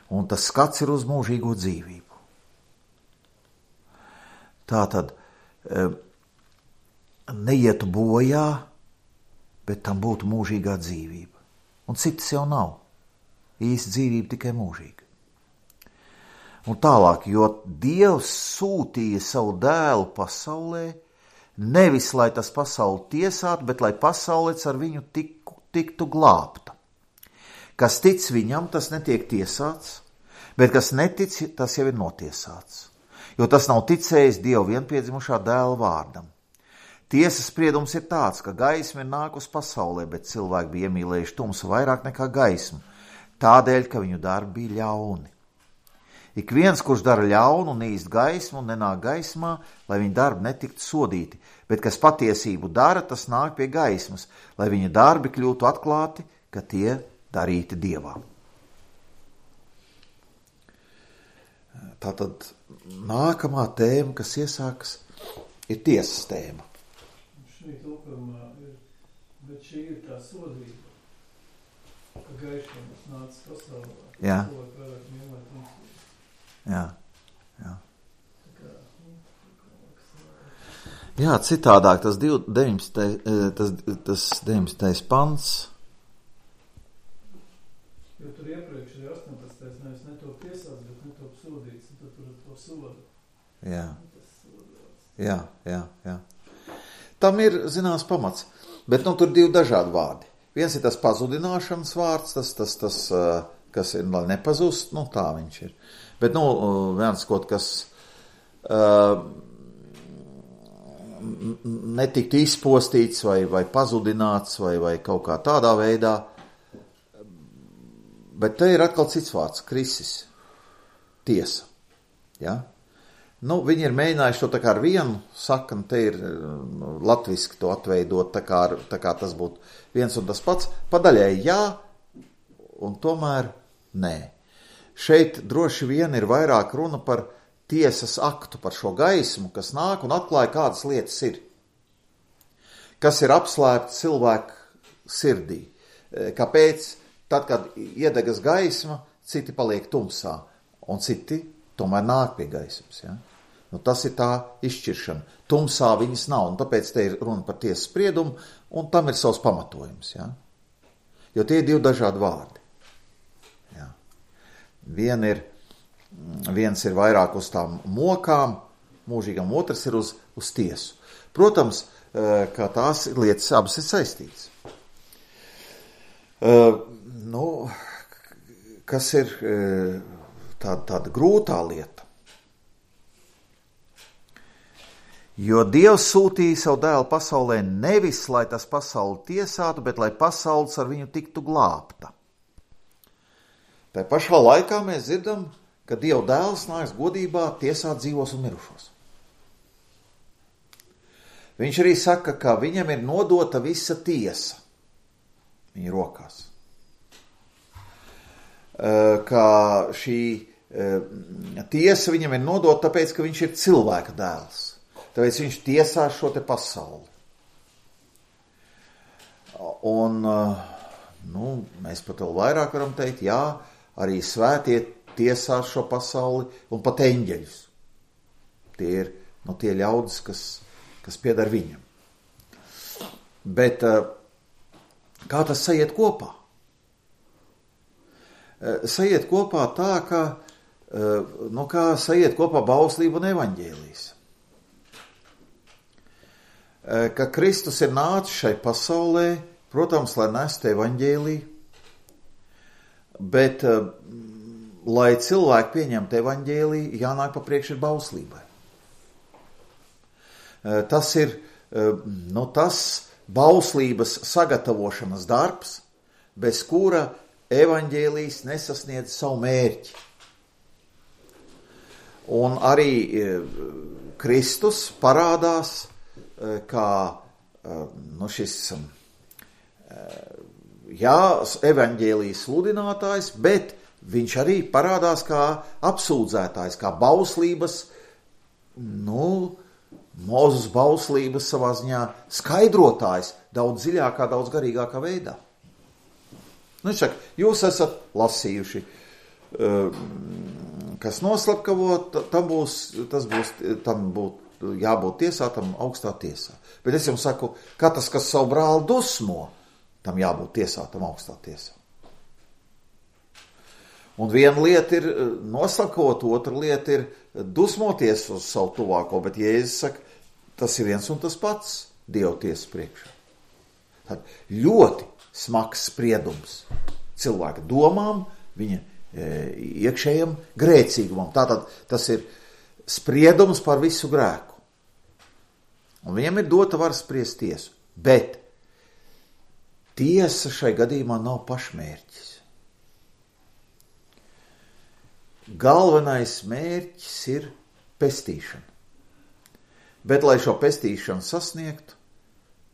Un tas skats ir uz mūžīgo dzīvību. Tātad neietu bojā, bet tam būtu mūžīgā dzīvība. Un citas jau nav. Īsta dzīvība tikai mūžīga. Un tālāk, jo Dievs sūtīja savu dēlu pasaulē, nevis lai tas pasauli tiesātu, bet lai pasaulēts ar viņu tiku, tiktu glābta. Kas tic viņam, tas netiek tiesāts, bet kas netic, tas jau ir notiesāts. Jo tas nav ticējis Dieva vienpiedzimušā dēla vārdam. Tiesas spriedums ir tāds, ka gaisma ir nākus pasaulē, bet cilvēki bija iemīlējuši tumsu vairāk nekā gaismu, tādēļ, ka viņu darbi bija ļauni. Ik viens, kurš dara ļaunu un īst gaismu un nenāk gaismā, lai viņa darbi netiktu sodīti, bet kas patiesību dara, tas nāk pie gaismas, lai viņa darbi kļūtu atklāti, ka tie darīti Dievā. Tātad nākamā tēma, kas iesākas, ir tiesas tēma. Šī tulkumā ir, bet šī ir tā sodība, ka gaišums nācis pasaulē. Jā. Cilvēki vairāk mīlēt tumsību. Jā, jā. Jā, citādāk tas deviņdesmitais pants. Jo tur iepriekš ir astoņpadsmitais nevis netop tiesāts, bet netop sodīts, un tad tur ir to sodu. Jā. Jā, jā, jā. Tam ir zināms pamats, bet nu tur divi dažādi vārdi. Viens ir tas pazudināšanas vārds, tas, tas, tas kas ir, lai nepazust, nu tā viņš ir. Bet, nu, viens kaut kas uh, netiktu izpostīts vai, vai pazudināts vai, vai kaut kā tādā veidā. Bet te ir atkal cits vārds, krisis, tiesa. Ja? Nu, viņi ir mēģinājuši to tā kā ar vienu sakni, te ir nu, latviski to atveidot, tā kā, tā kā tas būtu viens un tas pats. Padaļai jā, un tomēr nē. Šeit droši vien ir vairāk runa par tiesas aktu, par šo gaismu, kas nāk un atklāja, kādas lietas ir. Kas ir apslēpts cilvēku sirdī. Kāpēc? Tad, kad iedegas gaisma, citi paliek tumsā, un citi tomēr nāk pie gaismas. Ja? Nu, tas ir tā izšķiršana. Tumsā viņas nav, un tāpēc te ir runa par tiesas spriedumu, un tam ir savs pamatojums. Ja? Jo tie ir divi dažādi vārdi. Ja? Vien ir, viens ir vairāk uz tām mokām, mūžīgam, otrs ir uz, uz tiesu. Protams, ka tās lietas abas ir saistītas. Uh, nu, kas ir tāda, tāda grūtā lieta. Jo Dievs sūtīja savu dēlu pasaulē nevis, lai tas pasauli tiesātu, bet lai pasaules ar viņu tiktu glābta. Tā pašā laikā mēs dzirdam, ka Dieva dēls nāks godībā tiesāt dzīvos un mirušos. Viņš arī saka, ka viņam ir nodota visa tiesa viņa rokās. Ka šī tiesa viņam ir nodota tāpēc, ka viņš ir cilvēka dēls. Tāpēc viņš tiesās šo te pasauli. Un, nu, mēs pat vēl vairāk varam teikt, jā, arī svētie tiesās šo pasauli un pat eņģeļus. Tie ir, nu, tie ļaudis, kas, kas piedar viņam. Bet kā tas sajiet kopā? Sajiet kopā tā, ka, nu, kā sajiet kopā bauslība un evaņģēlijs. Ka Kristus ir nācis šai pasaulē, protams, lai nestu evaņģēliju, bet, lai cilvēki pieņemtu evaņģēliju, jānāk pa priekšu ir bauslībai. Tas ir, nu, tas bauslības sagatavošanas darbs, bez kura evaņģēlijs nesasniedz savu mērķi. Un arī Kristus parādās kā, nu, šis, jā, evaņģēlijas sludinātājs, bet viņš arī parādās kā apsūdzētājs, kā bauslības, nu, Mūzes bauslības savā ziņā skaidrotājs daudz dziļākā, daudz garīgākā veidā. Nu, viņš saka, jūs esat lasījuši, kas noslapkavo, tam būs, tas būs, tam būtu jābūt tiesātam augstā tiesā. Bet es jums saku, katrs, kas savu brāli dusmo, tam jābūt tiesātam augstā tiesā. Un viena lieta ir noslapkavot, otra lieta ir dusmoties uz savu tuvāko, bet Jēzus saka, tas ir viens un tas pats Dieva tiesas priekšā. Tad ļoti smags spriedums cilvēka domām, viņa e, iekšējam grēcīgumam. Tātad tas ir spriedums par visu grēku. Un viņam ir dota vara spriest tiesu. Bet tiesa šai gadījumā nav pašmērķis. Galvenais mērķis ir pestīšana. Bet, lai šo pestīšanu sasniegtu,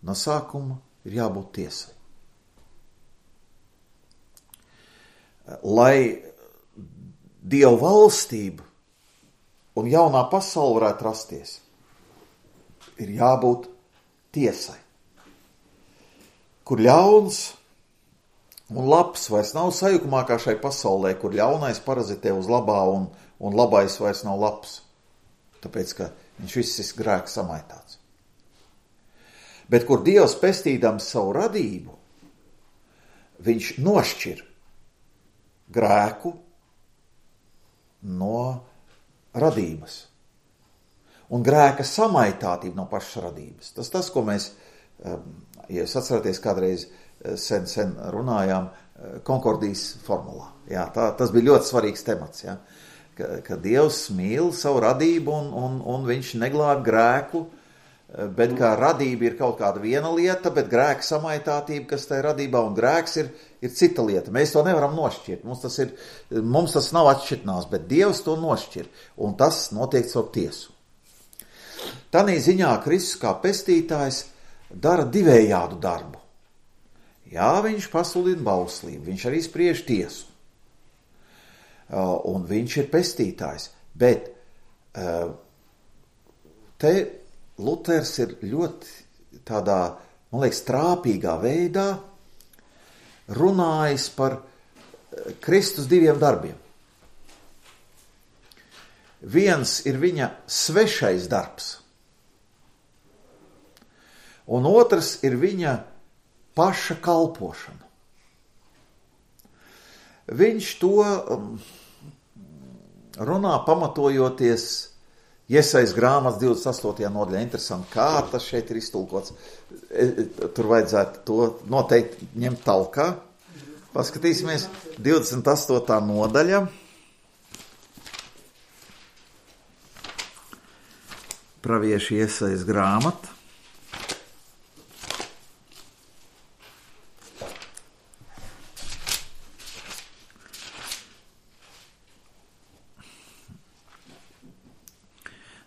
no sākuma ir jābūt tiesai. Lai Dieva valstība un jaunā pasaule varētu rasties, ir jābūt tiesai. Kur ļauns un labs vairs nav sajukumā kā šai pasaulē, kur ļaunais parazitē uz labā un, un labais vairs nav labs. Tāpēc, ka viņš viss ir grēks samaitāts. Bet kur Dievs pestīdams savu radību, viņš nošķir grēku no radības. Un grēka samaitātība no pašas radības. Tas tas, ko mēs, ja jūs atceraties, kādreiz sen, sen runājām konkordijas formulā. Jā, tā, tas bija ļoti svarīgs temats, jā. Ka, ka Dievs mīl savu radību un, un, un viņš neglāb grēku, bet kā radība ir kaut kāda viena lieta, bet grēka samaitātība, kas tajā radībā, un grēks ir, ir cita lieta. Mēs to nevaram nošķirt. Mums tas, ir, mums tas nav atšķirtnās, bet Dievs to nošķir, un tas notiek caur tiesu. Tanī ziņā Kristus kā pestītājs dara divējādu darbu. Jā, viņš pasludina bauslību, viņš arī spriež tiesu. Un viņš ir pestītājs, bet te Luters ir ļoti tādā, man liekas, trāpīgā veidā runājis par Kristus diviem darbiem. Viens ir viņa svešais darbs, un otrs ir viņa paša kalpošana. Viņš to runā pamatojoties Iesajas grāmatas divdesmit astotajā nodaļā. Interesanti, kā tas šeit ir iztulkots. Tur vajadzētu to noteikti ņemt talkā. Paskatīsimies divdesmit astotā nodaļa. Pravieši Iesajas grāmata.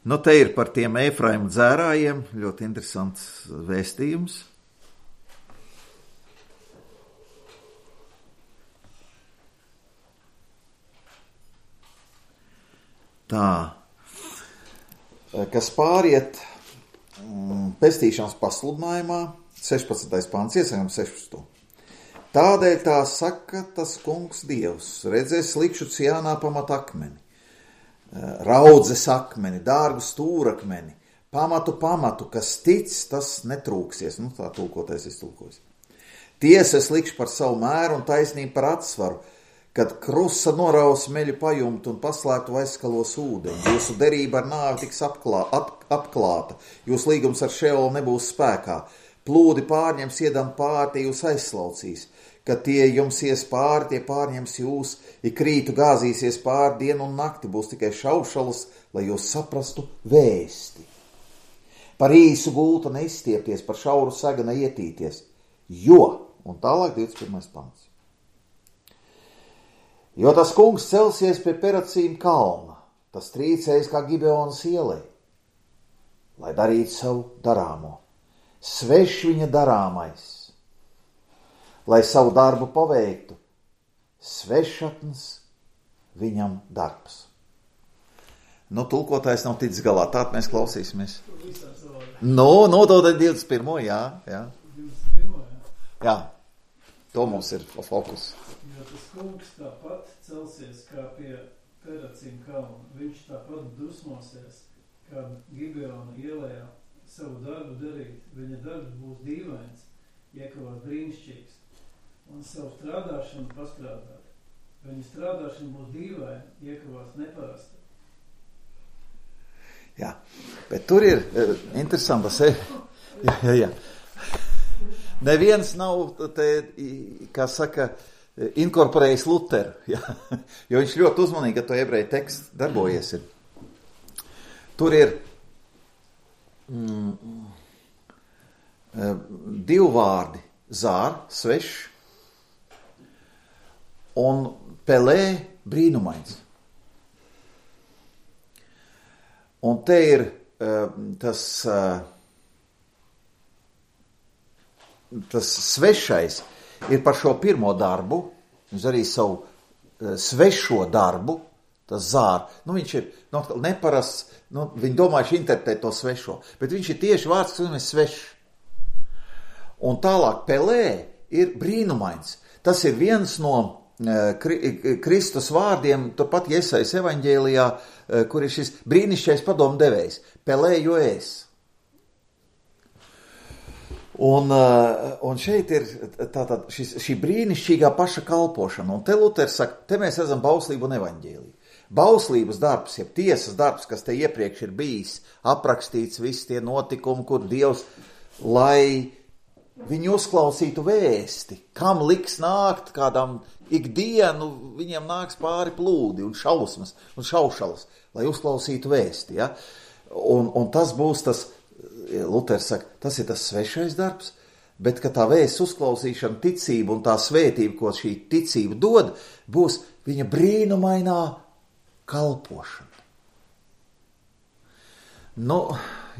Nu, te ir par tiem Efraimu dzērājiem, ļoti interesants vēstījums. Tā, kas pāriet mm, pestīšanas pasludinājumā, sešpadsmitais pants, iesakām sešpadsmito. Tādēļ tā saka tas kungs Dievs, redzēs likšu Ciānā pamat akmeni, raudzes akmeni, dārgu stūrakmeni, pamatu pamatu, kas tic, tas netrūksies. Nu, tā tulkotais iztulkojas. Tiesas likšu par savu mēru un taisnību par atsvaru, kad krusa noraus meļu pajumtu un paslēptu aizskalos ūdeņu. Jūsu derība ar nāvi tiks apklā, ap, apklāta, jūs līgums ar Šeolu nebūs spēkā. Plūdi pārņems iedam pāri, tie jūs aizslaucīs. Kad tie jums ies pāri, tie pārņems jūs, ik rītu gāzīsies pāri, dienu un nakti būs tikai šaušalas, lai jūs saprastu vēsti. Par īsu gultu neizstiepties, par šauru sega neietīties, jo, un tālāk divdesmit pirmais pants. Jo tas kungs celsies pie Peracīm kalna, tas trīcējas kā Gibeonas ielai, lai darītu savu darāmo, svešs viņa darāmais, lai savu darbu paveiktu, svešatnes viņam darbs. Nu, tulkotājs nav ticis galā, tātad mēs klausīsimies. Nu, no to divdesmit pirmo, jā, jā. divdesmit pirmo, jā. Jā, to mums ir fokus. Jo tas kungs tāpat celsies kā pie Peracīm kalna. Viņš tāpat dusmosies, kā Gibeona ielējā savu darbu darīt. Viņa darbs būs dīvains, iekavās brīnišķīgs. Un savu strādāšanu pastrādāt. Viņa strādāšana būs dīvaina, iekavās neparasta. Jā, bet tur ir interesanta seja. Jā, jā, jā. Neviens nav, te, kā saka, inkorporējis Luteru, jā. Jo viņš ļoti uzmanīgi, ka to ebreju tekstu darbojies ir. Tur ir mm, divi vārdi, zār, svešs, un pelē brīnumains. Un te ir uh, tas, uh, tas svešais ir par šo pirmo darbu, viņš arī savu uh, svešo darbu, tas zār, nu viņš ir nu, neparasts, nu viņi domā, viņš interpretē to svešo, bet viņš ir tieši vārds, kas ir svešs. Un tālāk pelē ir brīnumains. Tas ir viens no Kristus vārdiem, turpat Iesajas evaņģēlijā, kur ir šis brīnišķīgais padomu devējs, pelē jo es. Un, un šeit ir tātad šis, šī brīnišķīgā paša kalpošana, un te Luters saka, te mēs redzam bauslību un evaņģēliju. Bauslības darbs, jeb tiesas darbs, kas te iepriekš ir bijis, aprakstīts visi tie notikumi, kur Dievs, lai viņi uzklausītu vēsti, kam liks nākt kādam ikdienu, viņiem nāks pāri plūdi un šausmas un šaušalas, lai uzklausītu vēsti. Ja? Un, un tas būs tas, Luters saka, tas ir tas svešais darbs, bet ka tā vēsts uzklausīšana, ticība un tā svētība, ko šī ticība dod, būs viņa brīnumainā kalpošana. Nu,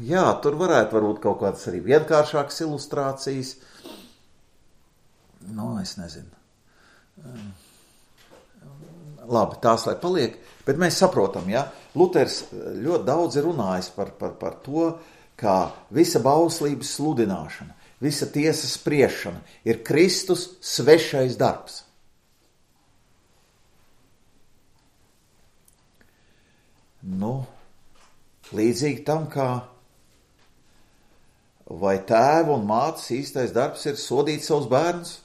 jā, tur varētu varbūt kaut kādas arī vienkāršākas ilustrācijas. Nu, es nezinu. Labi, tās lai paliek, bet mēs saprotam, ja, Luters ļoti daudz ir runājis par, par, par to, kā visa bauslības sludināšana, visa tiesas spriešana ir Kristus svešais darbs. Nu, līdzīgi tam, kā vai tēva un mātes īstais darbs ir sodīt savus bērnus?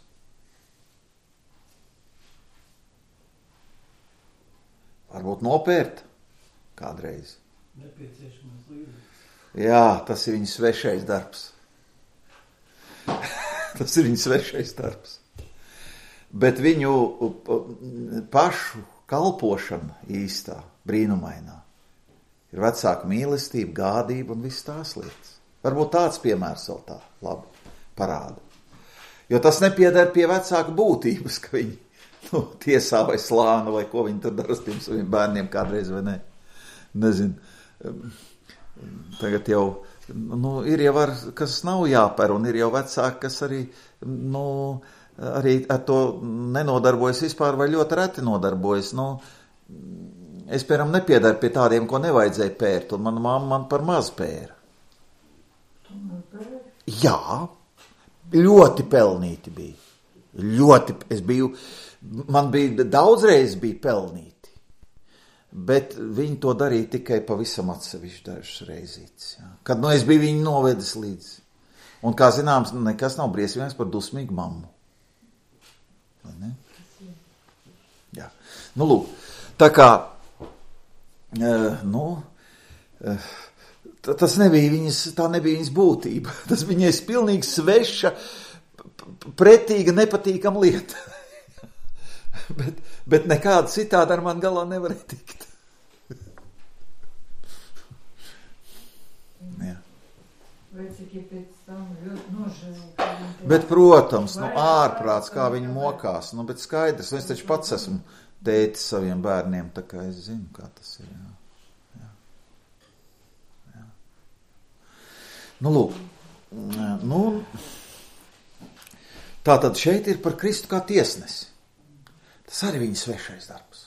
Varbūt nopērt kādreiz. Nepieciešamais līdzeklis. Jā, tas ir viņa svešais darbs. Tas ir viņa svešais darbs. bet viņu pašu kalpošana īstā, brīnumainā, ir vecāka mīlestība, gādība un viss tās lietas. Varbūt tāds piemērs vēl tā labi parāda. Jo tas nepieder pie vecāka būtības, ka viņi nu, tiesā vai slāna vai ko viņi tur dara ar tiem saviem bērniem kādreiz vai ne. Nezinu. Tagad jau, nu, ir jau ar, kas nav jāper, un ir jau vecāki, kas arī, nu, arī ar to nenodarbojas vispār vai ļoti reti nodarbojas. Nu, es, piemēram, nepiedaru pie tādiem, ko nevajadzēja pērt, un mana mamma man par maz pēra. Jā, ļoti pelnīti bija. Ļoti, es biju, man bija daudzreiz bija pelnīti. Bet viņi to darīja tikai pavisam atsevišķi dažas reizītes. Ja. Kad nu es biju viņu novedis līdz. Un kā zināms, nekas nav briesmīgs par dusmīgu mammu. Vai ne? Jā. Nu, lūk. Tā kā, uh, nu, uh, tas nebija viņas, tā nebija viņas būtība. Tas viņai pilnīgi sveša, pretīga, nepatīkama lieta. bet, bet nekāda citāda ar man galā nevarēja tikt. Jā. Bet, protams, nu, ārprāts, kā viņi mokās, nu, bet skaidrs, es taču pats esmu tētis saviem bērniem, tā kā es zinu, kā tas ir, jā. Jā. Jā. Nu, lūk, nu, tātad šeit ir par Kristu kā tiesnesi. Tas arī viņa svešais darbs.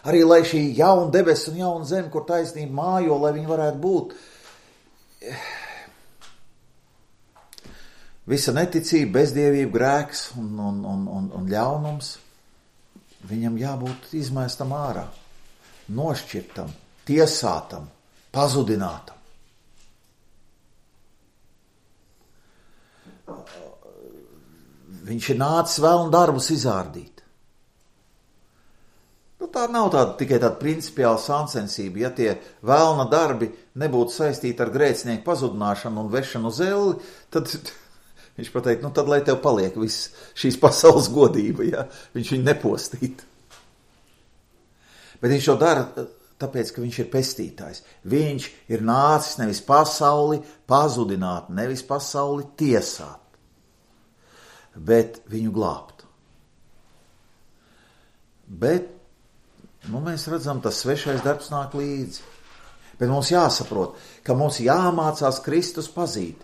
Arī, lai šī jauna debes un jauna zeme, kur taisnība mājo, lai viņi varētu būt, visa neticība, bezdievība, grēks un, un, un, un, un ļaunums, viņam jābūt izmēstam ārā, nošķirtam, tiesātam, pazudinātam. Viņš ir nācis vēlnu darbus izārdīt. Nu, tā nav tāda, tikai tāda principiāla sāncensība. Ja tie vēlna darbi nebūtu saistīti ar grēcinieku pazudināšanu un vešanu uz elli, tad viņš pateikt, nu tad lai tev paliek viss šīs pasaules godība, ja? Viņš viņu nepostītu. Bet viņš to dara tāpēc, ka viņš ir pestītājs. Viņš ir nācis nevis pasauli pazudināt, nevis pasauli tiesāt, bet viņu glābt. Bet, nu, mēs redzam, tas svešais darbs nāk līdzi. Bet mums jāsaprot, ka mums jāmācās Kristus pazīt.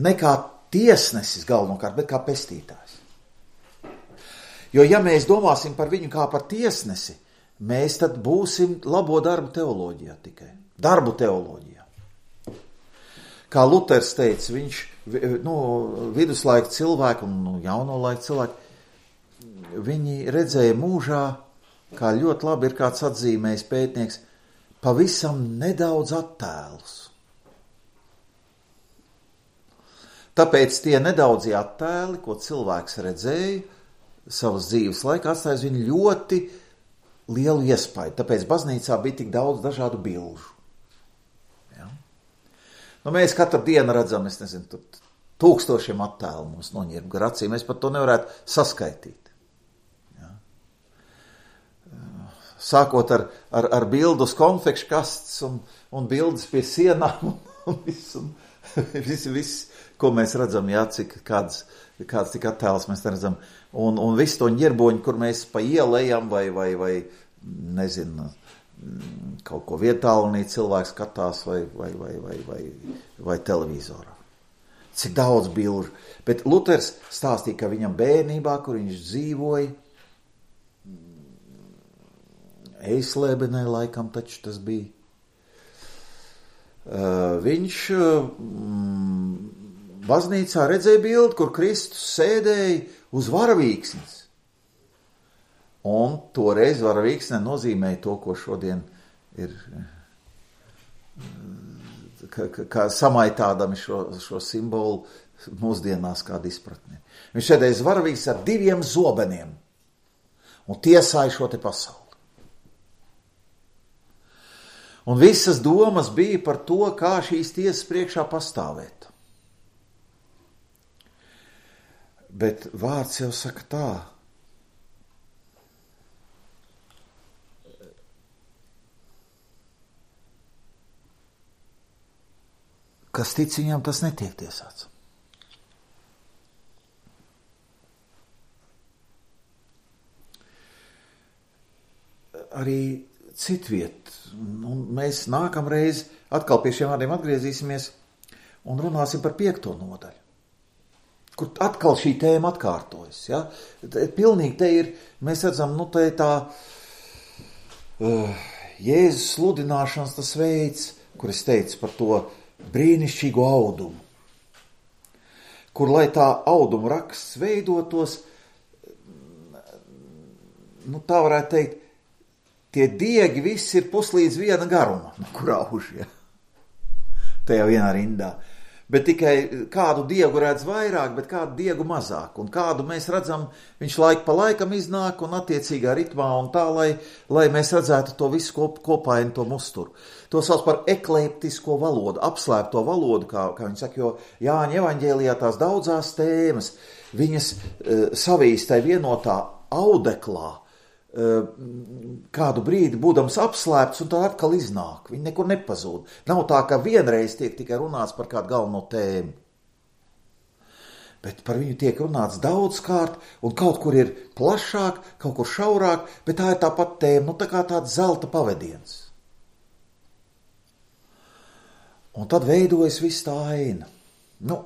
Ne kā tiesnesis galvenokārt, bet kā pestītājs. Jo, ja mēs domāsim par viņu kā par tiesnesi, mēs tad būsim labo darbu teoloģijā tikai. Darbu teoloģijā. Kā Luters teica, viņš, nu, viduslaika cilvēki un nu, jauno laika cilvēki, viņi redzēja mūžā, kā ļoti labi ir kāds atzīmējis pētnieks, pavisam nedaudz attēlus. Tāpēc tie nedaudzie attēli, ko cilvēks redzēja savas dzīves laikā, atstāja viņu ļoti lielu iespaidu. Tāpēc baznīcā bija tik daudz dažādu bilžu. Ja? Nu, mēs katru dienu redzam, es nezinu, tūkstošiem attēlu mums noņirb gar acīm. Mēs pat to nevarētu saskaitīt. Ja? Sākot ar, ar, ar bildu uz konfekšu kastes un, un bildes pie sienām un, un viss, un, viss, viss, ko mēs redzam, jā, cik kāds, kāds tik attēls mēs redzam. Un, un visu to ņirboņu, kur mēs pa ielējam vai, vai, vai nezinu, kaut ko vietālunī cilvēks skatās vai, vai, vai, vai, vai, vai televizorā. Cik daudz bilžu. Bet Luters stāstīja, ka viņam bērnībā, kur viņš dzīvoja, Eislēbenē laikam taču tas bija, uh, viņš mm, baznīcā redzēja bildi, kur Kristus sēdēja uz varavīksnes. Un toreiz varavīksne nozīmēja to, ko šodien ir, kā, kā samaitādami šo, šo simbolu mūsdienās kāda izpratne. Viņš sēdēja uz varavīksnes ar diviem zobeniem un tiesāja šo te pasauli. Un visas domas bija par to, kā šīs tiesas priekšā pastāvēt. Bet vārds jau saka tā. Kas tic viņam, tas netiek tiesāts. Arī citviet, un mēs nākamreiz atkal pie šiem vārdiem atgriezīsimies un runāsim par piekto nodaļu, kur atkal šī tēma atkārtojas. Ja? Pilnīgi te ir, mēs redzam, nu te tā uh, Jēzus sludināšanas tas veids, kur es teicu par to brīnišķīgo audumu, kur, lai tā auduma raksts veidotos, nu tā varētu teikt, tie diegi visi ir puslīdz viena garuma, no kur auž, ja? Tajā vienā rindā. Bet tikai kādu diegu redz vairāk, bet kādu diegu mazāk. Un kādu mēs redzam, viņš laika pa laikam iznāk un attiecīgā ritmā un tā, lai, lai mēs redzētu to visu kop, kopainu, to musturu. To sauc par eklektisko valodu, apslēpto valodu, kā, kā viņi saka, jo Jāņa evaņģēlijā tās daudzās tēmas, viņas uh, savīstai vienotā audeklā, kādu brīdi būdams apslēpts un tā atkal iznāk. Viņi nekur nepazūd. Nav tā, ka vienreiz tiek tikai runāts par kādu galveno tēmu. Bet par viņu tiek runāts daudzkārt un kaut kur ir plašāk, kaut kur šaurāk, bet tā ir tā pat tēma, nu tā kā tāds zelta pavadiens. Un tad veidojas viss tā aina. Nu,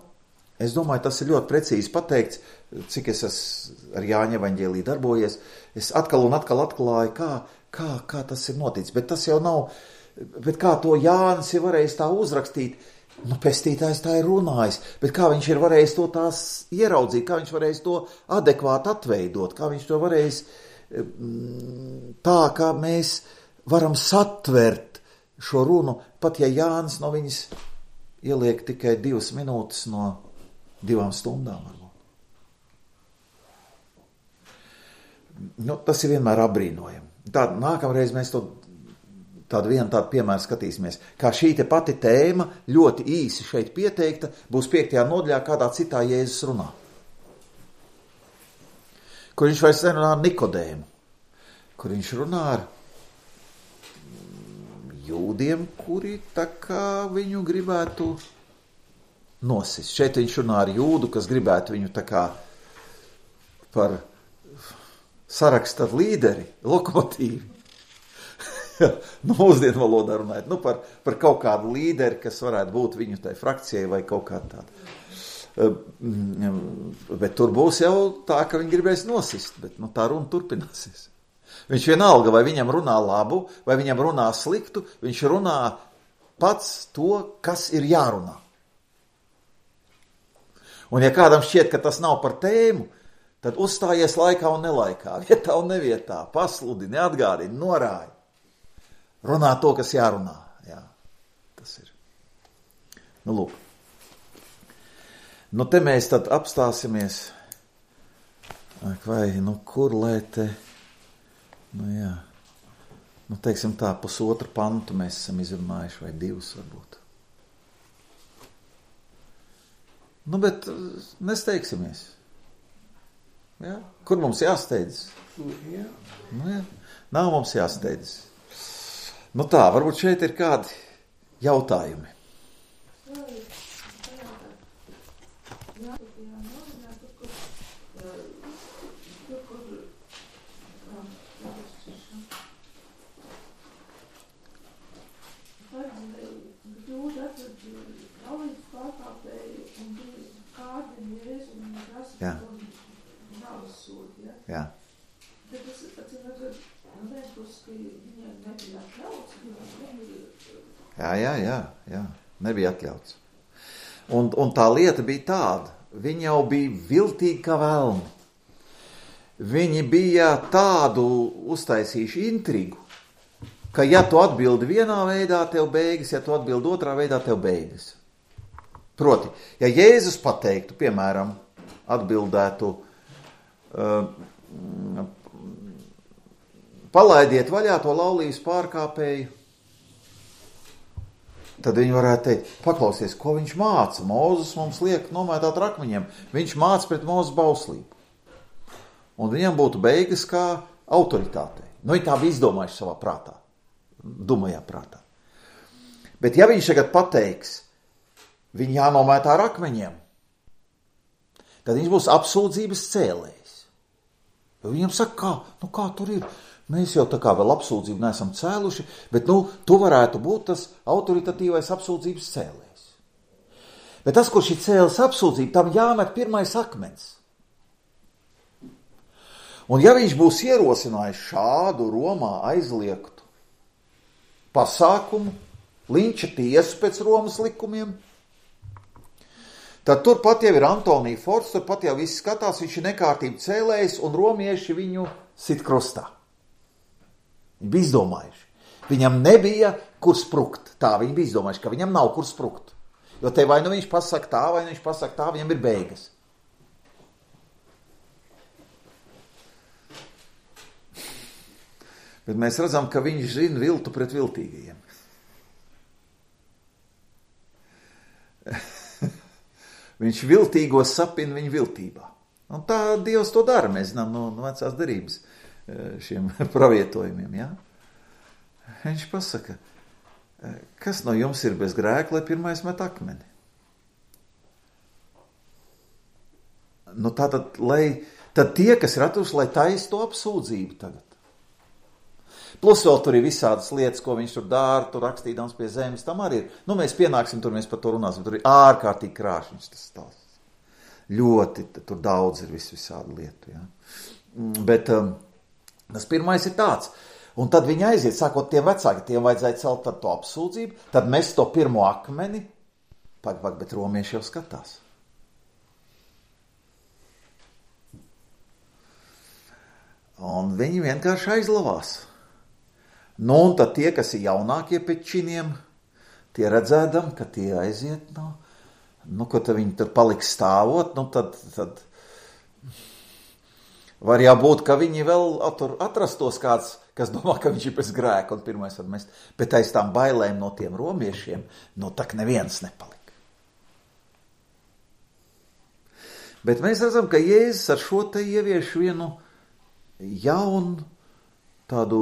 es domāju, tas ir ļoti precīzi pateikts, cik es esmu ar Jāņa evaņģēliju darbojies. Es atkal un atkal atklāju, kā, kā, kā tas ir noticis. Bet tas jau nav, bet kā to Jānis ir varējis tā uzrakstīt, nu, pestītājs tā ir runājis, bet kā viņš ir varējis to tās ieraudzīt, kā viņš varējis to adekvāti atveidot, kā viņš to varējis tā, kā mēs varam satvert šo runu, pat ja Jānis no viņas ieliek tikai divas minūtes no divām stundām varbūt. Nu, tas ir vienmēr apbrīnojami. Tā, nākamreiz mēs to tādu vienu tādu piemēru skatīsimies, kā šī te pati tēma ļoti īsi šeit pieteikta, būs piektajā nodaļā kādā citā Jēzus runā. Kur viņš vairs nerunā ar Nikodēmu, kur viņš runā ar jūdiem, kuri tā kā viņu gribētu nosist. Šeit viņš runā ar jūdu, kas gribētu viņu tā kā par saraksta līderi, lokomotīvi. Nu, mūsdienu valodā runājot, nu, par, par kaut kādu līderi, kas varētu būt viņu tai frakcijai vai kaut kā tāda. Bet tur būs jau tā, ka viņi gribēs nosist, bet nu, tā runa turpināsies. Viņš vienalga, vai viņam runā labu, vai viņam runā sliktu, viņš runā pats to, kas ir jārunā. Un ja kādam šķiet, ka tas nav par tēmu, tad uzstājies laikā un nelaikā, vietā un nevietā, pasludi, neatgādini, norāji. Runā to, kas jārunā. Jā, tas ir. Nu, lūk. Nu, te mēs tad apstāsimies. Vai, nu, kur lai te, nu, jā. Nu, teiksim tā, pusotru pantu mēs esam izrunājuši, vai divus varbūt. Nu, bet nesteigsimies. Ja? Kur mums jāsteidzas? Jā. Nu, jā. Nav mums jāsteidzas. Nu tā, varbūt šeit ir kādi jautājumi. Jā. Jā. Jā, jā, jā, jā, nebija atļauts. Un, un tā lieta bija tāda, viņi jau bija viltīgi kā velni. Viņi bija tādu uztaisījuši intrigu, ka ja tu atbildi vienā veidā, tev beigas, ja tu atbildi otrā veidā, tev beigas. Proti, ja Jēzus pateiktu, piemēram, atbildētu, uh, palaidiet vaļā to laulības pārkāpēju, tad viņi varētu teikt, paklausies, ko viņš māca. Mūzes mums liek nomētāt ar akmeņiem. Viņš māca pret mūzes bauslību. Un viņam būtu beigas kā autoritātei. Nu, viņi tā bija izdomājuši savā prātā. Dumajā prātā. Bet ja viņš tagad pateiks, viņi jānomētā ar akmeņiem, tad viņš būs apsūdzības cēlējs. Jo viņam saka, kā, nu kā tur ir? Mēs jau tā kā vēl apsūdzību neesam cēluši, bet nu, tu varētu būt tas autoritatīvais apsūdzības cēlējs. Bet tas, kurš ir cēlis apsūdzību, tam jāmet pirmais akmens. Un ja viņš būs ierosinājis šādu Romā aizliegtu pasākumu, linča tiesu pēc Romas likumiem, tad turpat jau ir Antonija Forts, turpat jau viss skatās, viņš ir nekārtību cēlējs un romieši viņu sit krustā. Viņi bija izdomājuši. Viņam nebija kur sprukt. Tā viņi bija izdomājuši, ka viņam nav kur sprukt. Jo te vai nu viņš pasaka tā, vai nu viņš pasaka tā, viņam ir beigas. Bet mēs redzam, ka viņš zina viltu pret viltīgajiem. Viņš viltīgos sapina viņa viltībā. Un tā Dievs to dara, mēs zinām no, no vecās derības šiem pravietojumiem. Ja? Viņš pasaka, kas no jums ir bez grēka, lai pirmais met akmeni? Nu tātad, lai, tad tie, kas ir atraduši, lai taisa to apsūdzību tagad. Plus vēl tur ir visādas lietas, ko viņš tur dara, tur rakstīdams pie zemes, tam arī ir. Nu, mēs pienāksim, tur mēs par to runāsim, tur ir ārkārtīgi krāšņs tas stāsts. Ļoti, tur daudz ir vis visādi lietu, ja. Bet um, tas pirmais ir tāds. Un tad viņi aiziet, sākot tiem vecāki, tiem vajadzēja celt tad to apsūdzību, tad mēs to pirmo akmeni, pak, pak, bet romieši jau skatās. Un viņi vienkārši aizlavās. Nu, un tad tie, kas ir jaunākie pēc činiem, tie redzēdam, ka tie aiziet, nu, nu ko tad viņi tur paliks stāvot, nu, tad, tad var jābūt, ka viņi vēl tur atrastos kāds, kas domā, ka viņš ir pēc grēka, un pirmais var mest, bet aiz tām bailēm no tiem romiešiem, nu, tak neviens nepalika. Bet mēs redzam, ka Jēzus ar šo te ievieš vienu jaunu, tādu,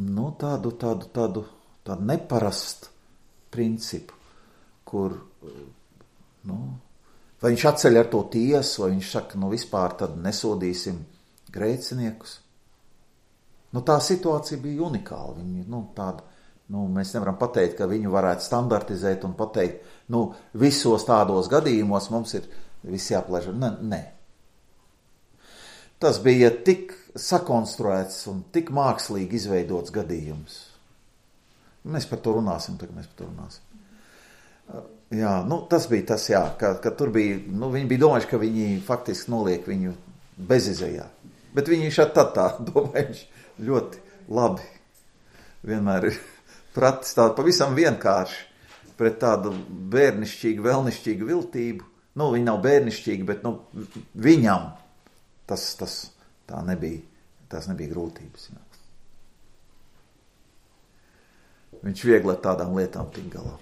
nu, tādu, tādu, tādu, tādu neparastu principu, kur, nu, vai viņš atceļ ar to tiesu, vai viņš saka, nu, vispār tad nesodīsim grēciniekus. Nu, tā situācija bija unikāla. Viņi, nu, tāda, nu, mēs nevaram pateikt, ka viņu varētu standartizēt un pateikt, nu, visos tādos gadījumos mums ir visi jāplēž. Ne, ne. Tas bija tik sakonstruēts un tik mākslīgi izveidots gadījums. Mēs par to runāsim, tagad mēs par to runāsim. Jā, nu tas bija tas, jā, ka, ka tur bija, nu viņi bija domājuši, ka viņi faktiski noliek viņu bezizejā. Bet viņi šādi tad tā domājuši ļoti labi. Vienmēr ir pratis tādu pavisam vienkārši pret tādu bērnišķīgu, vēlnišķīgu viltību. Nu, viņi nav bērnišķīgi, bet, nu, viņam Tas, tas tā nebija, tās nebija grūtības. Jā. Viņš viegli ar tādām lietām tik galā.